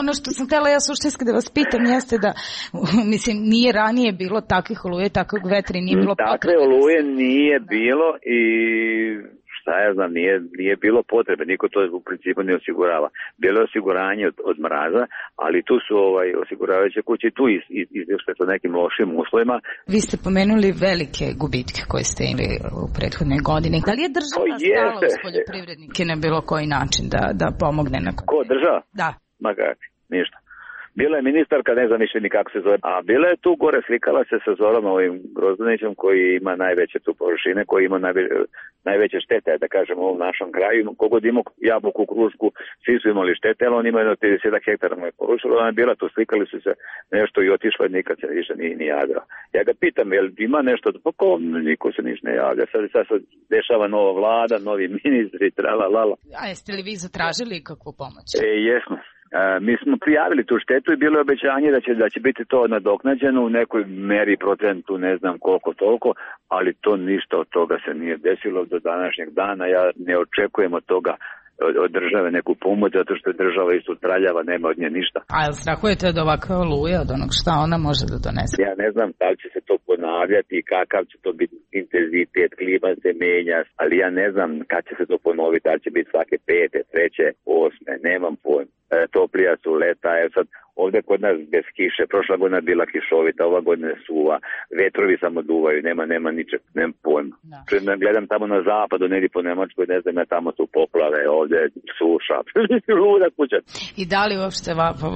ono što sam htjela ja suštinski da vas pitam jeste da, mislim, nije ranije bilo takvih oluje, takvog vetra i nije bilo potrebe. Takve oluje nije bilo i šta ja znam, nije bilo potrebe, niko to u principu ne osigurava. Bilo je osiguranje od mraza, ali tu su osiguravajuće kuće tu izvješće sa nekim lošim uslovima. Vi ste pomenuli velike gubitke koje ste imali u prethodnoj godini. Da li je država stala uz poljoprivrednike na bilo koji način da pomogne? Ko, država? Da. Ma kako, ništa. Bila je ministarka, ne znam više ni kako se zove, a bila je tu gore, slikala se sa Zorom Grozdanićem koji ima najveće tu površine, koji ima najveće štete, da kažem, u ovom našom kraju. Kogod imao jabuku, krušku, svi su imali štete, ali on ima jedno 30 hektara mu je porušilo, ona je bila tu, slikali su se nešto i otišla i nikad se više ni javila. Ja ga pitam, jel ima nešto, pa ko, niko se niš ne javlja, sad se dešava nova vlada, novi ministri, tralalala. A jeste li vi zatražili kakvu pomoć? Jesmo. Mi smo prijavili tu štetu i bilo je obećanje da će biti to nadoknađeno u nekoj meri, procentu, ne znam koliko toliko, ali to ništa od toga se nije desilo do današnjeg dana. Ja ne očekujem od toga od države neku pomoć, zato što je država isto traljava, nema od nje ništa. A jel strahujete od ovakve oluje, od onog šta ona može da donese? Ja ne znam da li će se to ponavljati i kakav će to biti intenzitet, klima se menja, ali ja ne znam kad će se to ponoviti, da li će biti svake 5., 3., 8., nemam pojma. Toplija su leta, sad ovde kod nas bez kiše, prošla godina bila kišovita, ova godina suva, vetrovi samo duvaju, nema ničeg, nema pojma. Da. Gledam tamo na zapadu, negdje po Nemačkoj, ne znam, tamo su poplave, ovde suša, luda kuća. I da li uopšte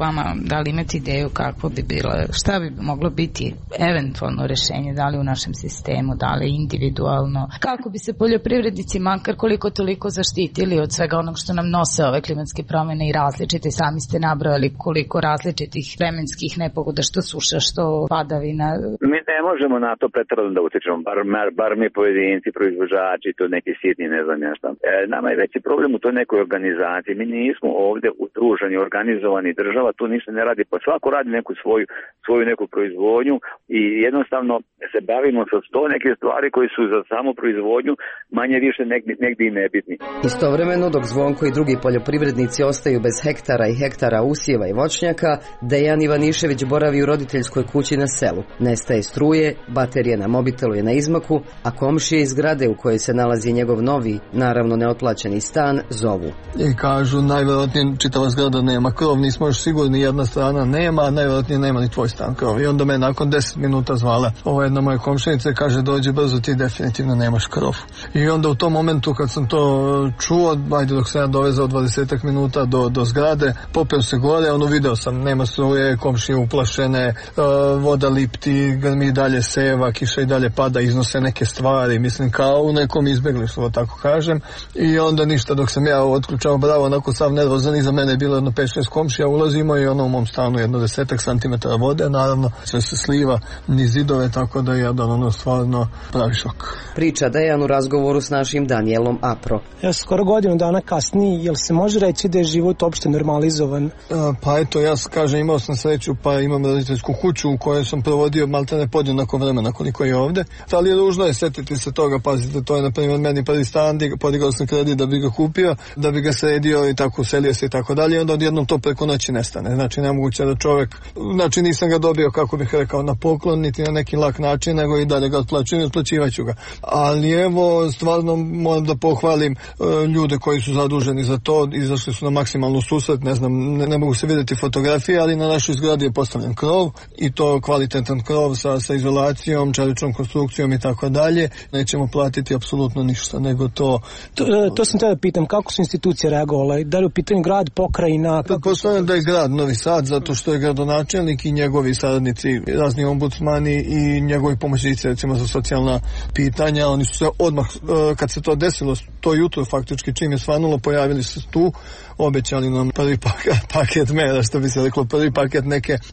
vama, da li imate ideju kako bi bilo, šta bi moglo biti eventualno rešenje, da li u našem sistemu, da li individualno, kako bi se poljoprivrednici makar koliko toliko zaštitili od svega onog što nam nose ove klimatske promjene i različite, sami ste nabrojali koliko različitih vremenskih nepogoda, što suša, što padavina. Mi ne možemo na to pretjerano da utičemo, bar mi pojedinci, proizvođači, to neki sitni, ne znam ja šta. Nama je veći problem u toj nekoj organizaciji. Mi nismo ovde udruženi, organizovani, država tu ništa ne radi, pa svako radi neku svoju neku proizvodnju i jednostavno se bavimo sa 100 neke stvari koji su za samu proizvodnju manje više negdje i nebitni. Istovremeno, dok Zvonko i drugi poljoprivrednici ostaju bez hektara i hektara usjeva i voćnjaka, Dejan Ivanišević boravi u roditeljskoj kući na selu. Nestaje struje, baterija na mobitelu je na izmaku, a komšije iz zgrade u kojoj se nalazi njegov novi, naravno neotplaćeni stan, zovu. I kažu, najvjerojatnije čitava zgrada nema krov, nismo još sigurni, jedna strana nema, a najvjerojatnije nema ni tvoj stan krov. I onda me nakon 10 minuta zvala jedna moja komšinica i kaže, dođi brzo, ti definitivno nemaš krov. I onda u tom momentu kad sam to čuo, ajde dok sam ja dovezao 20 minuta do zgrade, popeo se gore, video sam, nema struje, komšije uplašene, voda lipti, grmi dalje seva, kiša i dalje pada, iznose neke stvari, mislim kao u nekom izbjeglištvu, tako kažem. I onda ništa, dok sam ja otključao bravo, onako sav nervozan, iza mene je bilo jedno 5-6 komšija, ulazimo i ono u mom stanu jedno 10 centimetara vode, naravno sve se sliva niz zidove, tako da je jedan stvarno pravi šok. Priča Dejan u razgovoru s našim Danielom Apro. Skoro godinu dana kasnije, jel se može reći da je život uopšte normalno? normalizovan? Pa eto, ja kažem, imao sam sreću, pa imam roditeljsku kuću u kojoj sam provodio maltene podjednako vremena koliko je ovde. Ali je ružno je setiti se toga, pazite, to je na primjer meni prvi stan, podigao sam kredit da bi ga kupio, da bi ga sredio i tako uselio se i tako dalje, i onda odjednom to preko noći nestane. Znači nemoguće da čovjek, znači nisam ga dobio, kako bih rekao, na poklon, niti na neki lak način, nego i dalje ga otplaćujem i otplaćivaću ga. Ali evo, stvarno moram da pohvalim ljude koji su zaduženi za to, izašli su na maksimalnu susret, ne znam, ne mogu se vidjeti fotografije, ali na našoj zgradi je postavljen krov i to kvalitetan krov sa izolacijom, čeličnom konstrukcijom i tako dalje. Nećemo platiti apsolutno ništa, nego to sam tada pitam, kako su institucije reagovale? Da li u pitanju grad, pokrajina? Postavljam da je grad Novi Sad, zato što je gradonačelnik i njegovi saradnici, razni ombudsmani i njegovi pomoćnici, recimo za socijalna pitanja, oni su se odmah, kad se to desilo, to jutro faktički čim je svanulo, pojavili se tu, obećali nam prvi paket mera, što bi se reklo, prvi paket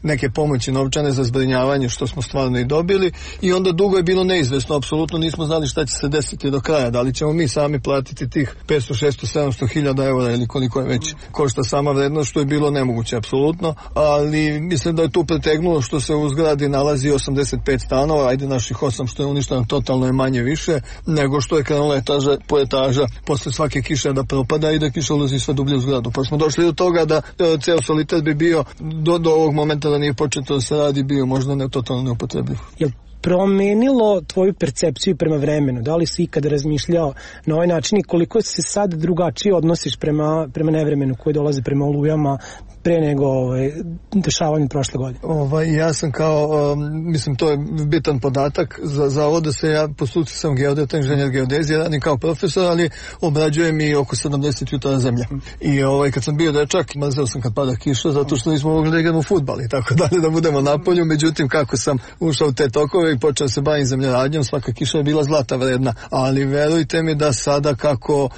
neke pomoći novčane za zbrinjavanje, što smo stvarno i dobili, i onda dugo je bilo neizvesno, apsolutno nismo znali šta će se desiti do kraja, da li ćemo mi sami platiti tih 500, 600, 700 hiljada eura ili koliko je već košta sama vrednost, što je bilo nemoguće apsolutno, ali mislim da je tu pretegnulo što se u zgradi nalazi 85 stanova, ajde naših 8 što je uništeno totalno je manje više nego što je krenula etaža po etaža posle svake kiše da propada i da kiša ulazi sve dublje u zgradu. Pa smo došli do toga da ceo solitet bi bio do ovog momenta da nije početo da se radi bio možda totalno neupotrebljiv. Jel promenilo tvoju percepciju prema vremenu? Da li si ikada razmišljao na ovaj način i koliko se sad drugačije odnosiš prema nevremenu koji dolazi prema olujama pre nego dešavanju prošle godine? Ja sam mislim to je bitan podatak za ovo da se ja po struci sam geodeta, inženjer geodezije, radim kao profesor, ali obrađujem i oko 70 jutara zemlje. I kad sam bio dečak, mrzeo sam kad pada kiša zato što nismo mogli da igramo fudbal i tako dalje, da budemo na polju, međutim kako sam ušao u te tokove i počeo se bavim zemljoradnjom, svaka kiša je bila zlata vredna, ali verujte mi da sada kako,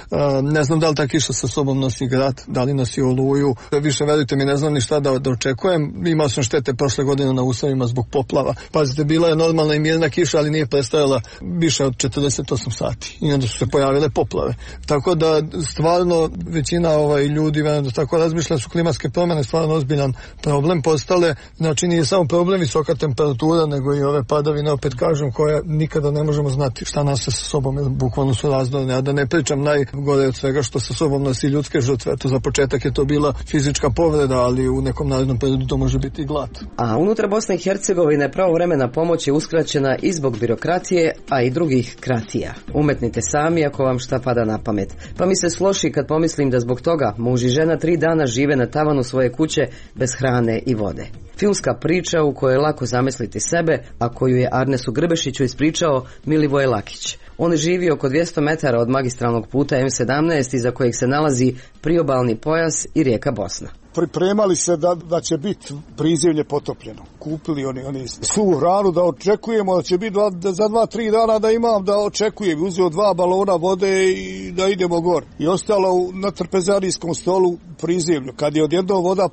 ne znam da li ta kiša sa sobom nosi grad, da li nosi oluju, više verujte mi, ne znam ni šta da očekujem. Imao sam štete prošle godine na uslovima zbog poplava. Pazite, bila je normalna i mirna kiša, ali nije prestajala više od 48 sati. I onda su se pojavile poplave. Tako da stvarno većina ljudi da tako razmišlja, su klimatske promjene stvarno ozbiljan problem postale. Znači nije samo problem visoka temperatura, nego i ove padavine, opet kažem, koje nikada ne možemo znati šta nas sa sobom, bukvalno su razdorne. A da ne pričam najgore od svega što sa sobom nosi ljudske žrtve. To za početak je to bila fizička povreda, ali u nekom narednom periodu to može biti i glad. A unutar Bosne i Hercegovine pravovremena pomoć je uskraćena i zbog birokracije, a i drugih kratija. Umetnite sami ako vam šta pada na pamet. Pa mi se sloši kad pomislim da zbog toga muž i žena 3 dana žive na tavanu svoje kuće bez hrane i vode. Filmska priča u kojoj je lako zamisliti sebe, a koju je Arnesu Grbešiću ispričao Milivoje Lakić. On živi oko 200 metara od magistralnog puta M17 iza kojeg se nalazi priobalni pojas i rijeka Bosna. Pripremali se da će biti prizemlje potopljeno. Kupili oni svu hranu, da očekujemo da će biti za 2-3 dana da imam, da očekujem. Uzeo 2 balona vode i da idemo gor. I ostalo na trpezarijskom stolu prizemlju. Kad je odjednom voda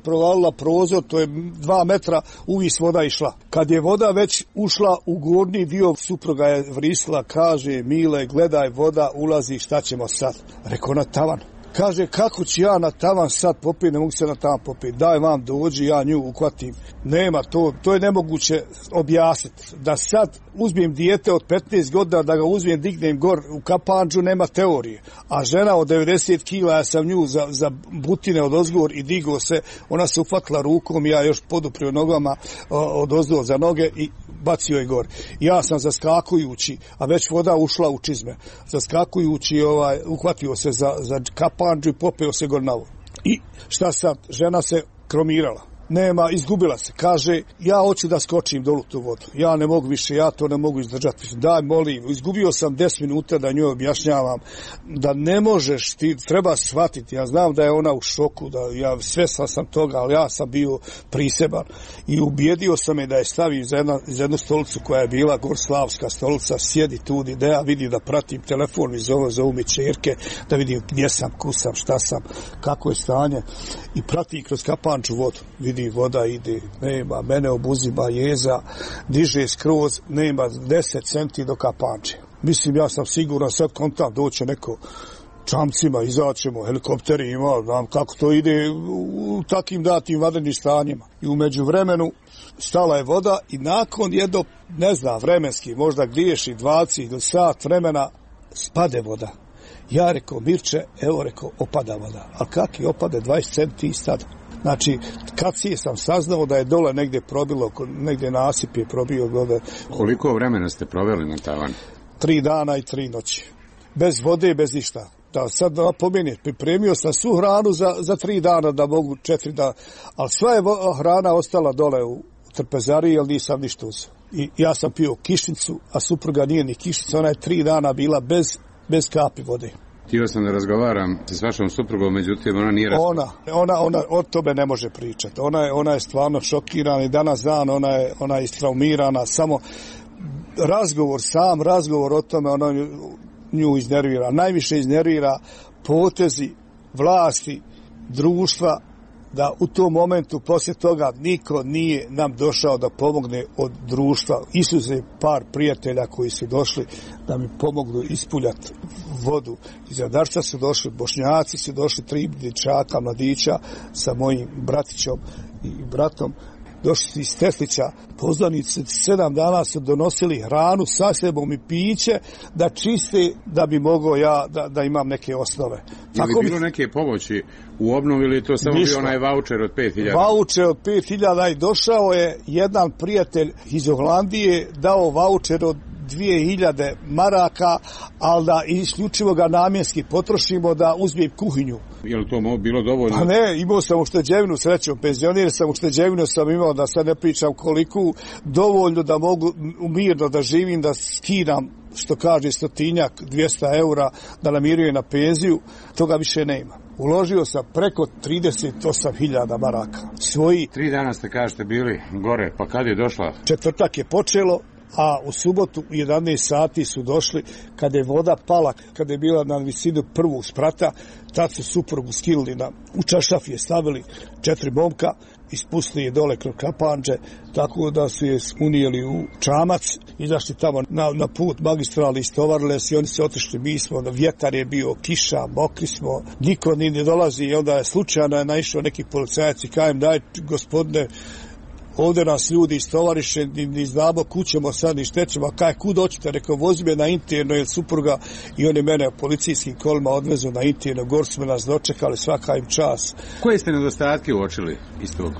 provalila prozor, to je 2 metra, uvis voda išla. Kad je voda već ušla u gornji dio, supruga je vrisla, kaže: Mile, gledaj, voda ulazi, šta ćemo sad? Rekao: na tavan. Kaže: kako ću ja na tavan sad popiti, ne mogu se na tavan popiti, daj vam dođi, ja nju uhvatim. Nema, to je nemoguće objasniti. Da sad uzmem dijete od 15 godina, da ga uzmem, dignem gor u kapandžu, nema teorije. A žena od 90 kila, ja sam nju za butine od ozgor i digo se, ona se uhvatila rukom, ja još poduprio nogama od ozgor za noge i bacio je gor. Ja sam zaskakujući, a već voda ušla u čizme, zaskakujući uhvatio se za kapandžu i popeo se gor na vodu. I šta sad? Žena se kromirala. Nema, izgubila se. Kaže: ja hoću da skočim dolu tu vodu. Ja ne mogu više, ja to ne mogu izdržati. Daj, molim. Izgubio sam 10 minuta da njoj objašnjavam da ne možeš, ti treba shvatiti. Ja znam da je ona u šoku, da ja svestan sam toga, ali ja sam bio priseban. I ubijedio sam je da je stavi za jednu stolicu koja je bila gorslavska stolica, sjedi tu, da ja vidim, da pratim telefon, mi zovu mi čerke, da vidim gdje sam, kusam, šta sam, kako je stanje. I pratim kroz kapanču vodu. Voda ide, nema, mene obuzima jeza, diže skroz, nema 10 centi do kapanče. Mislim, ja sam siguran, sad kontam, doće neko čamcima, izaćemo, helikopterima, znam kako to ide u takim datim vanrednim stanjima. I u međuvremenu stala je voda i nakon jedno, ne znam, vremenski, možda griješi 20 ili sat vremena, spade voda. Ja rekao, Mirče, evo rekao, opada voda. A kak je opade 20 centi sad? Znači, kad sam saznao da je dole negdje probilo, negdje nasip je probio vode. Koliko vremena ste proveli na tavanu? 3 dana i 3 noći. Bez vode, bez ništa. Da sad napomenem, pripremio sam svu hranu za 3 dana, da mogu 4 dana. Ali sva je hrana ostala dole u trpezariji, jer nisam ništa uzeo. I ja sam pio kišnicu, a supruga nije ni kišnica, ona je 3 dana bila bez kapi vode. Htio sam da razgovaram s vašom suprugom, međutim ona nije Ona o tome ne može pričati. Ona je stvarno šokirana i danas dan ona je istraumirana. Samo razgovor o tome ona nju iznervira. Najviše iznervira potezi vlasti, društva, da u tom momentu poslije toga niko nije nam došao da pomogne od društva. Isuze par prijatelja koji su došli da mi pomognu ispuljati vodu. Iz Radarca su došli, Bošnjaci su došli, 3 dječaka, mladića sa mojim bratićom i bratom. Došli su iz Teslića, poznanici 7 dana su donosili hranu sa sebom i piće da čiste, da bi mogao ja da imam neke osnove. Je li bilo neke pomoći u obnovi ili to samo bio onaj vaučer od 5.000? Vaučer od 5.000 i došao je jedan prijatelj iz Holandije, dao vaučer od 2.000 maraka, ali da isključivo ga namjenski potrošimo da uzmem kuhinju. Je li to bilo dovoljno? Pa ne, imao sam ušteđevinu, srećom, penzioner sam, ušteđevinu sam imao, da sad ne pričam koliko, dovoljno da mogu mirno da živim, da skidam, što kaže, 100-200 eura, da namirujem na penziju, toga više nema. Uložio sam preko 38.000 maraka. 3 dana ste, kažete, bili gore, pa kad je došla? Četvrtak je počelo, a u subotu u 11 sati su došli, kada je voda pala, kada je bila na visinu prvog sprata, tad su suprugu skilili u čaršaf je stavili 4 momka, ispustili je dole kroz kapanđe, tako da su je unijeli u čamac, izašli tamo na put magistrali, istovarile se i oni se otišli, mi smo, vjetar je bio, kiša, mokri smo, niko ni ne dolazi i onda je slučajno naišao neki policajac i kajem, daj gospodine, ovdje nas ljudi istovariše, ni znamo kućemo sad, ni štećemo, a kaj, kud hoćete, rekao, vozi me na interno, jer supruga, i oni mene policijskim kolima odvezu na interno, gor smo nas dočekali, svaka im čas. Koje ste nedostatke uočili iz tog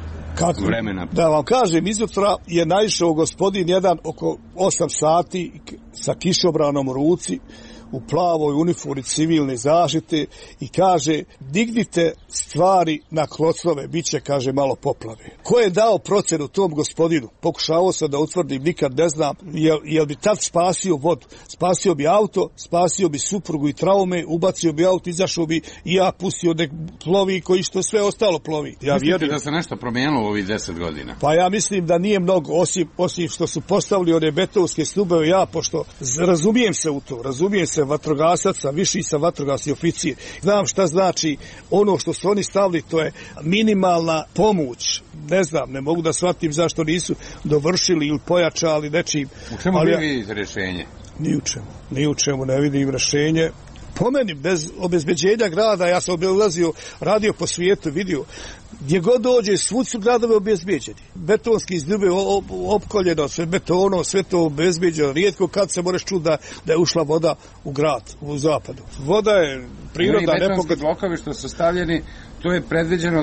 vremena? Da vam kažem, izutra je naišao gospodin jedan oko 8 sati sa kišobranom u ruci, u plavoj uniformi civilne zaštite i kaže, dignite stvari na klocove, bit će, kaže, malo poplave. Ko je dao procenu tom gospodinu? Pokušavao sam da utvrdim, nikad ne znam, jel bi tad spasio vodu, spasio bi auto, spasio bi suprugu i traume, ubacio bi auto, izašao bi i ja pustio nek plovi koji što sve ostalo plovi. Mislite da se nešto promijenilo u ovih 10 godina? Pa ja mislim da nije mnogo, osim što su postavili one betonske stubove, ja, pošto razumijem se u to, razumijem se vatrogasaca, viši sam vatrogasni oficir. Znam šta znači ono što su oni stavili, to je minimalna pomoć. Ne znam, ne mogu da shvatim zašto nisu dovršili ili pojačali nečim. U čemu vi vidite rješenje? Ni u čemu ne vidim rješenje. Po meni, bez obezbeđenja grada, ja sam obilazio, radio po svijetu, vidio, gdje god dođe, svud su gradove obezbeđeni. Betonski izdube opkoljeno, sve betono, sve to obezbeđeno. Rijetko kad se moraš čuti da je ušla voda u grad, u zapadu. Voda je priroda nepogodna. Betonski blokovi što su stavljeni, to je predviđeno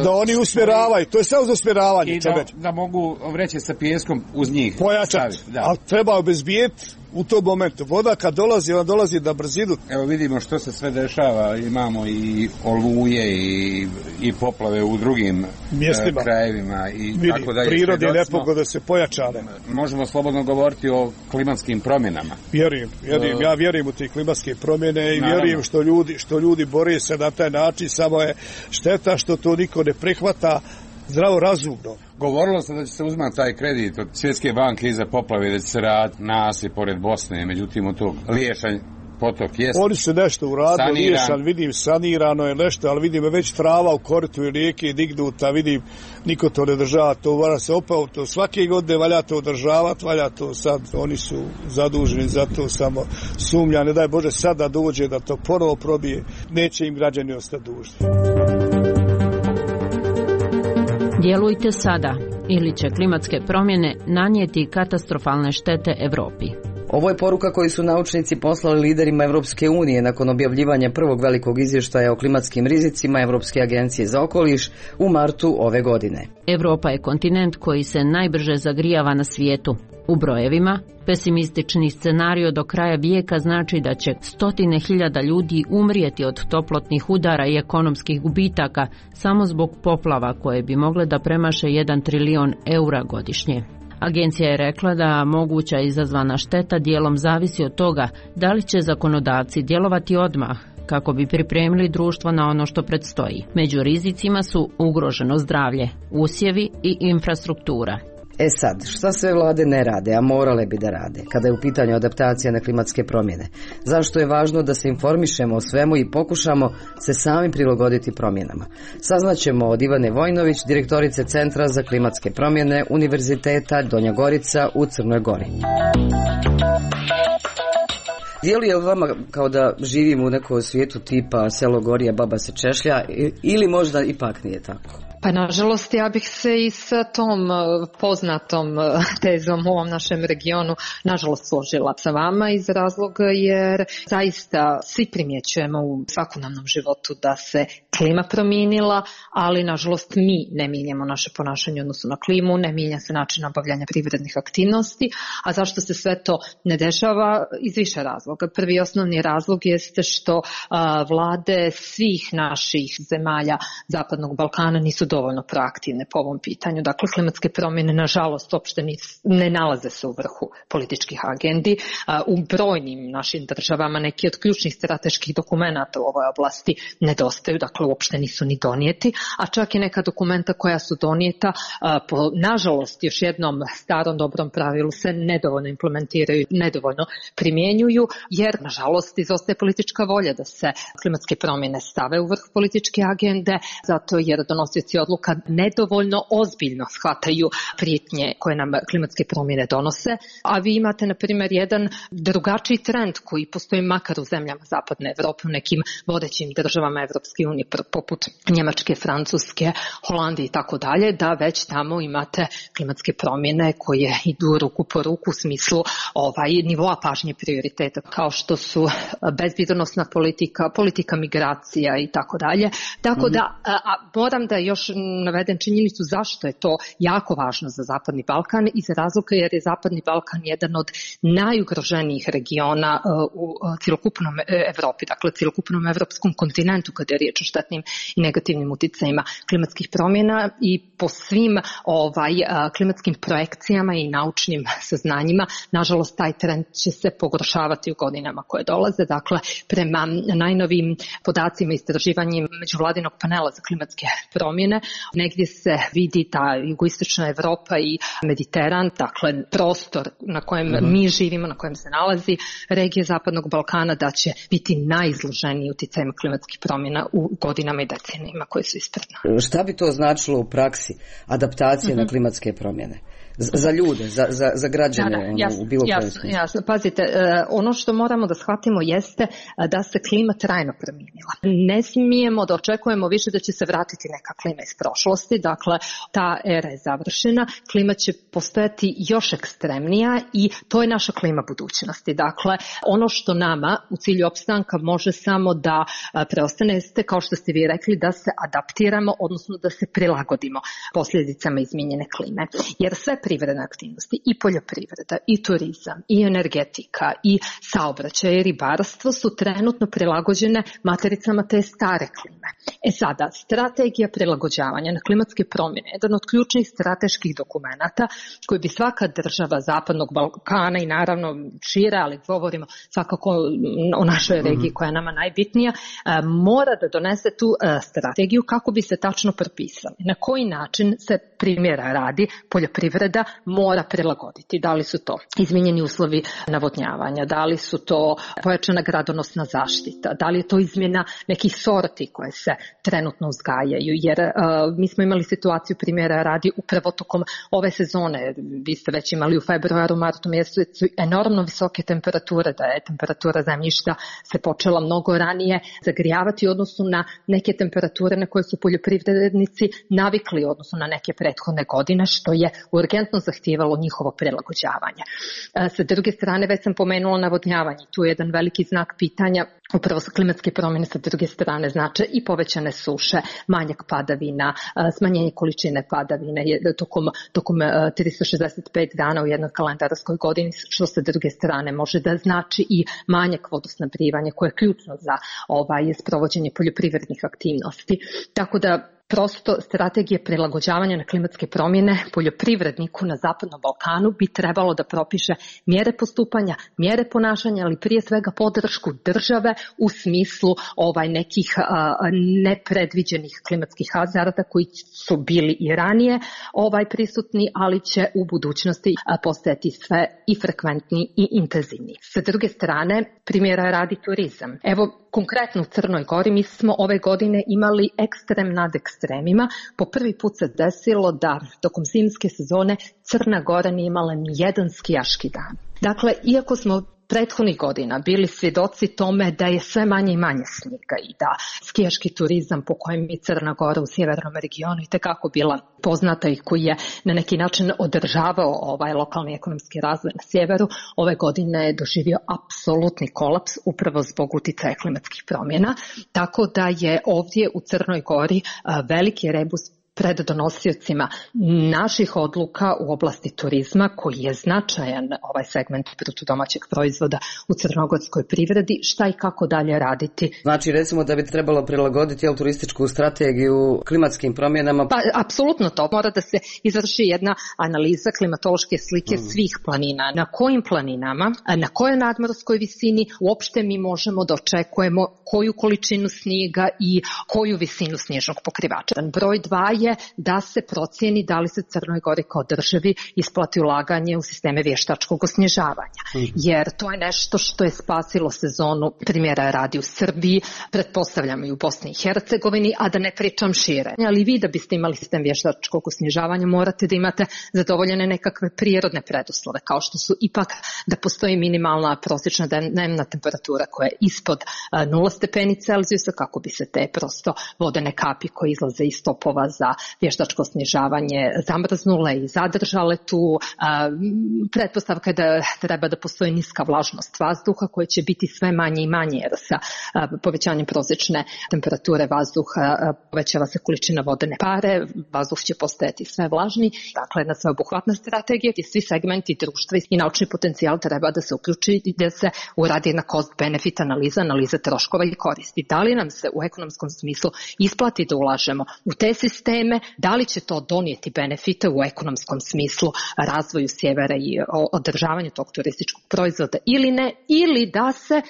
da oni usmjeravaju, to je samo za usmjeravanje. I da mogu vreće sa pijeskom uz njih pojačati, ali treba obezbijeti u tom momentu. Voda kad dolazi, ona dolazi na brzinu. Evo vidimo što se sve dešava, imamo i oluje i poplave u drugim mjestima, krajevima i tako dalje. Prirodne nepogode se pojačane. Možemo slobodno govoriti o klimatskim promjenama. Ja vjerujem u te klimatske promjene i vjerujem što ljudi bore se na taj način, samo je šteta što to niko ne prihvata zdravo razumno. Govorilo se da će se uzmati taj kredit od Svjetske banke iza poplave, da će se raditi nasip pored Bosne, međutim od tog Liješanja potok jest oni su nešto uradili, riješan, vidim sanirano je nešto, ali vidim već trava u koritu i rijeke dignuta, vidim niko to ne država, to mora se opao, to svake godine valja to održavati, valja to sad, oni su zaduženi za to, samo sumnja, ne daj Bože sad da dođe da to ponovo probije, neće im građani ostati dužni. Djelujte sada ili će klimatske promjene nanijeti katastrofalne štete Europi. Ovo je poruka koju su naučnici poslali liderima Europske unije nakon objavljivanja prvog velikog izvještaja o klimatskim rizicima Europske agencije za okoliš u martu ove godine. Europa je kontinent koji se najbrže zagrijava na svijetu. U brojevima, pesimistični scenario do kraja vijeka znači da će 100.000 ljudi umrijeti od toplotnih udara i ekonomskih gubitaka samo zbog poplava koje bi mogle da premaše 1 trilijon eura godišnje. Agencija je rekla da moguća izazvana šteta dijelom zavisi od toga da li će zakonodavci djelovati odmah kako bi pripremili društvo na ono što predstoji. Među rizicima su ugroženo zdravlje, usjevi i infrastruktura. Sad, šta sve vlade ne rade, a morale bi da rade, kada je u pitanju adaptacija na klimatske promjene? Zašto je važno da se informišemo o svemu i pokušamo se sami prilagoditi promjenama? Saznaćemo od Ivane Vojnović, direktorice Centra za klimatske promjene Univerziteta Donja Gorica u Crnoj Gori. Djeluje li vama kao da živimo u nekom svijetu tipa selo gori, a baba se češlja, ili možda ipak nije tako? Pa nažalost ja bih se i sa tom poznatom tezom u ovom našem regionu nažalost složila sa vama iz razloga jer zaista svi primjećujemo u svakodnevnom životu da se klima promijenila, ali nažalost mi ne mijenjamo naše ponašanje u odnosu na klimu, ne mijenja se način obavljanja privrednih aktivnosti, a zašto se sve to ne dešava? Iz više razloga. Prvi osnovni razlog jeste što vlade svih naših zemalja Zapadnog Balkana nisu dovoljno proaktivne po ovom pitanju. Dakle, klimatske promjene, nažalost, uopšte ne nalaze se u vrhu političkih agendi. U brojnim našim državama neki od ključnih strateških dokumenata u ovoj oblasti nedostaju, dakle, uopšte nisu ni donijeti, a čak i neka dokumenta koja su donijeta, nažalost, još jednom starom dobrom pravilu se nedovoljno implementiraju, nedovoljno primjenjuju, jer, nažalost, izostaje politička volja da se klimatske promjene stave u vrh političke agende, zato jer donosioci odluka nedovoljno ozbiljno shvataju prijetnje koje nam klimatske promjene donose, a vi imate, na primjer, jedan drugačiji trend koji postoji makar u zemljama Zapadne Evrope, u nekim vodećim državama Evropske unije, poput Njemačke, Francuske, Holandije i tako dalje, da već tamo imate klimatske promjene koje idu ruku po ruku u smislu nivoa pažnje prioriteta, kao što su bezbjednosna politika migracija i tako dalje. Tako da, moram da još navedem činjenicu zašto je to jako važno za Zapadni Balkan, iz razloga jer je Zapadni Balkan jedan od najugroženijih regiona u cjelokupnom Evropi, dakle cjelokupnom evropskom kontinentu kada je riječ o štetnim i negativnim uticajima klimatskih promjena i po svim klimatskim projekcijama i naučnim saznanjima, nažalost taj trend će se pogoršavati u godinama koje dolaze. Dakle, prema najnovim podacima istraživanjima međuvladinog panela za klimatske promjene, negdje se vidi ta jugoistočna Evropa i Mediteran, dakle prostor na kojem mi živimo, na kojem se nalazi regija Zapadnog Balkana, da će biti najizloženiji uticajima klimatskih promjena u godinama i decenijima koje su ispred nas. Šta bi to značilo u praksi, adaptacije na klimatske promjene? Za ljude, za građane u bilo kojem smislu. Jasno. Pazite, ono što moramo da shvatimo jeste da se klima trajno promijenila. Ne smijemo da očekujemo više da će se vratiti neka klima iz prošlosti, dakle ta era je završena, klima će postojati još ekstremnija i to je naša klima budućnosti. Dakle, ono što nama u cilju opstanka može samo da preostane jeste, kao što ste vi rekli, da se adaptiramo, odnosno da se prilagodimo posljedicama izmijenjene klime. Jer sve privredne aktivnosti, i poljoprivreda, i turizam, i energetika, i saobraćaj, i ribarstvo su trenutno prilagođene matericama te stare klime. Sada, strategija prilagođavanja na klimatske promjene je jedan od ključnih strateških dokumenata koji bi svaka država Zapadnog Balkana i naravno šire, ali govorimo svakako o našoj regiji koja je nama najbitnija, mora da donese tu strategiju kako bi se tačno propisali na koji način se primjera radi poljoprivreda poljoprivreda mora prilagoditi. Da li su to izmijenjeni uslovi navodnjavanja, da li su to pojačana gradonosna zaštita, da li je to izmjena nekih sorti koje se trenutno uzgajaju, jer mi smo imali situaciju, primjera radi, upravo tokom ove sezone, vi ste već imali u februaru, martu mjesecu enormno visoke temperature, da je temperatura zemljišta se počela mnogo ranije zagrijavati u odnosu na neke temperature na koje su poljoprivrednici navikli u odnosu na neke prethodne godine, što je urgentno zahtijevalo njihovo prilagođavanje. Sa druge strane, već sam pomenula navodnjavanje, tu je jedan veliki znak pitanja. Upravo su klimatske promjene sa druge strane znače i povećane suše, manjak padavina, smanjenje količine padavine tokom 365 dana u jednoj kalendarskoj godini, što sa druge strane može da znači i manjak vodosnabdijevanja koje je ključno za sprovođenje poljoprivrednih aktivnosti. Tako da prosto strategije prilagođavanja na klimatske promjene poljoprivredniku na Zapadnom Balkanu bi trebalo da propiše mjere postupanja, mjere ponašanja, ali prije svega podršku države u smislu nekih nepredviđenih klimatskih hazarda koji su bili i ranije prisutni, ali će u budućnosti postajati sve i frekventniji i intenzivniji. Sa druge strane, primjera radi turizam. Evo, konkretno u Crnoj Gori mi smo ove godine imali ekstrem nad ekstremima. Po prvi put se desilo da tokom zimske sezone Crna Gora nije imala ni jedan skijaški dan. Dakle, iako smo prethodnih godina bili svjedoci tome da je sve manje i manje snijega i da skijaški turizam po kojem je Crna Gora u sjevernom regionu itekako bila poznata i koji je na neki način održavao lokalni ekonomski razvoj na sjeveru, ove godine je doživio apsolutni kolaps upravo zbog uticaja klimatskih promjena, tako da je ovdje u Crnoj Gori veliki rebus pred donosiocima naših odluka u oblasti turizma, koji je značajan segment bruto domaćeg proizvoda u crnogorskoj privredi, šta i kako dalje raditi. Znači, recimo da bi trebalo prilagoditi turističku strategiju klimatskim promjenama? Pa, apsolutno to. Mora da se izvrši jedna analiza klimatološke slike svih planina. Na kojim planinama, na kojoj nadmorskoj visini uopšte mi možemo da očekujemo koju količinu snijega i koju visinu snježnog pokrivača. Broj 2 je da se procijeni da li se Crnoj Gori kao državi isplati ulaganje u sisteme vještačkog osnježavanja. Jer to je nešto što je spasilo sezonu, primjera radi u Srbiji, pretpostavljam i u Bosni i Hercegovini, a da ne pričam šire. Ali vi da biste imali sistem vještačkog osnježavanja morate da imate zadovoljene nekakve prirodne preduslove, kao što su ipak da postoji minimalna prosječna dnevna temperatura koja je ispod 0 stepeni Celzijusa, kako bi se te prosto vodene kapi koje izlaze iz topova za vještačko snježavanje zamrznule i zadržale tu. Pretpostavka je da treba da postoji niska vlažnost vazduha koja će biti sve manje i manje, jer sa povećanjem prosječne temperature vazduha povećava se količina vodene pare, vazduh će postajati sve vlažniji. Dakle, jedna sveobuhvatna strategija gdje svi segmenti društva i naučni potencijal treba da se uključi i da se uradi jedna cost-benefit analiza troškova i koristi. Da li nam se u ekonomskom smislu isplati da ulažemo u te sisteme, da li će to donijeti benefite u ekonomskom smislu razvoju sjevera i održavanju tog turističkog proizvoda ili ne, ili da se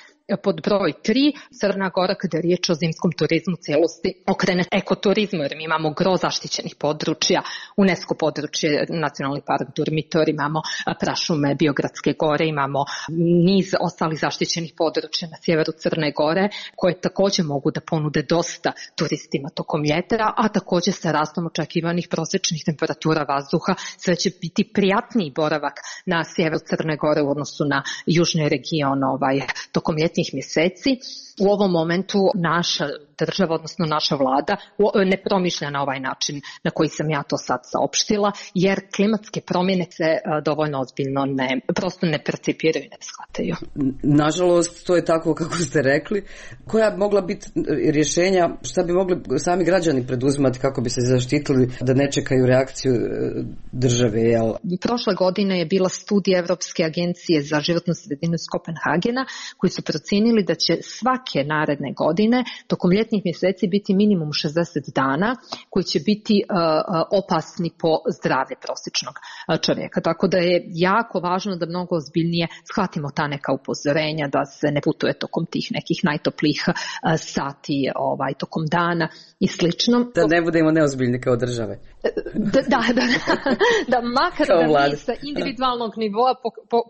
pod broj 3 Crna Gora, kada je riječ o zimskom turizmu cijelosti, okrene ekoturizmu, jer mi imamo gro zaštićenih područja, UNESCO područje, Nacionalni park Durmitor, imamo prašume Biogradske gore, imamo niz ostalih zaštićenih područja na sjeveru Crne Gore, koje također mogu da ponude dosta turistima tokom ljeta, a također sa rastom očekivanih prosječnih temperatura vazduha sve će biti prijatniji boravak na sjeveru Crne Gore u odnosu na južni region tokom ljetnih mjeseci. U ovom momentu naša država, odnosno naša vlada, ne promišlja na ovaj način na koji sam ja to sad saopštila, jer klimatske promjene se dovoljno ozbiljno prosto ne percipiraju i ne shvataju. Nažalost, to je tako kako ste rekli. Koja bi mogla biti rješenja, šta bi mogli sami građani preduzimati kako bi se zaštitili da ne čekaju reakciju države? Jel? Prošle godine je bila studija Evropske agencije za životnu sredinu iz Kopenhagena, koji su procijenili da će svake naredne godine tokom ljetnih mjeseci biti minimum 60 dana koji će biti opasni po zdravlje prosječnog čovjeka. Tako da je jako važno da mnogo ozbiljnije shvatimo ta neka upozorenja, da se ne putuje tokom tih nekih najtoplijih sati tokom dana i slično. Da ne budemo neozbiljni kao države. Da makar da mi sa individualnog nivoa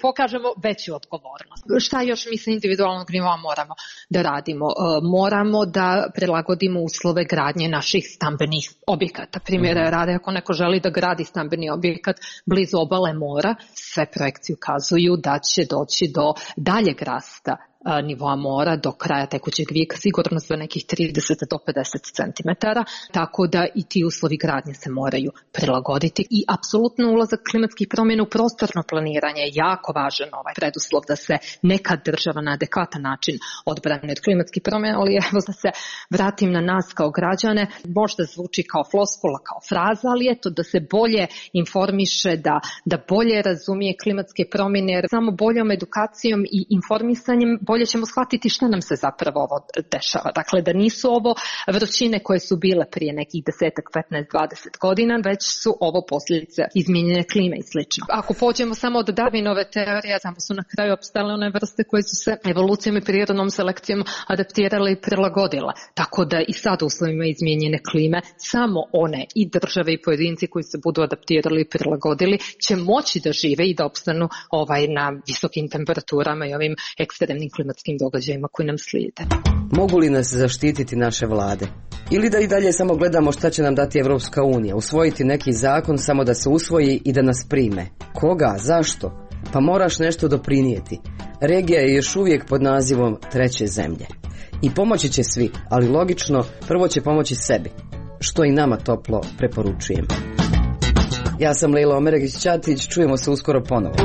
pokažemo veću odgovornost. Šta još mi sa individualnog nivoa moramo da radimo? Moramo da prilagodimo uslove gradnje naših stambenih objekata. Primjera rade, ako neko želi da gradi stambeni objekat blizu obale mora, sve projekcije ukazuju da će doći do daljeg rasta nivoa mora do kraja tekućeg vijeka, sigurno za nekih 30 do 50 cm, tako da i ti uslovi gradnje se moraju prilagoditi i apsolutno ulazak klimatskih promjena u prostorno planiranje je jako važan preduslov da se neka država na adekvatan način odbrani od klimatskih promjena, ali evo da se vratim na nas kao građane, možda zvuči kao floskula, kao fraza, ali eto da se bolje informiše, da bolje razumije klimatske promjene, jer samo boljom edukacijom i informisanjem bolje ćemo shvatiti šta nam se zapravo ovo dešava. Dakle, da nisu ovo vrućine koje su bile prije nekih 10, 15, 20 godina, već su ovo posljedice izmijenjene klime i slično. Ako pođemo samo od Darwinove teorije, samo su na kraju opstale one vrste koje su se evolucijom i prirodnom selekcijom adaptirale i prilagodile. Tako da i sad u uslovima izmijenjene klime, samo one i države i pojedinci koji se budu adaptirali i prilagodili će moći da žive i da opstanu na visokim temperaturama i ovim ekstremnim klimatskim događajima koji nam slijede. Mogu li nas zaštititi naše vlade? Ili da i dalje samo gledamo šta će nam dati Evropska unija, usvojiti neki zakon samo da se usvoji i da nas prime? Koga? Zašto? Pa moraš nešto doprinijeti. Regija je još uvijek pod nazivom treće zemlje. I pomoći će svi, ali logično, prvo će pomoći sebi, što i nama toplo preporučujem. Ja sam Lejla Omeregić-Ćatić, čujemo se uskoro ponovo.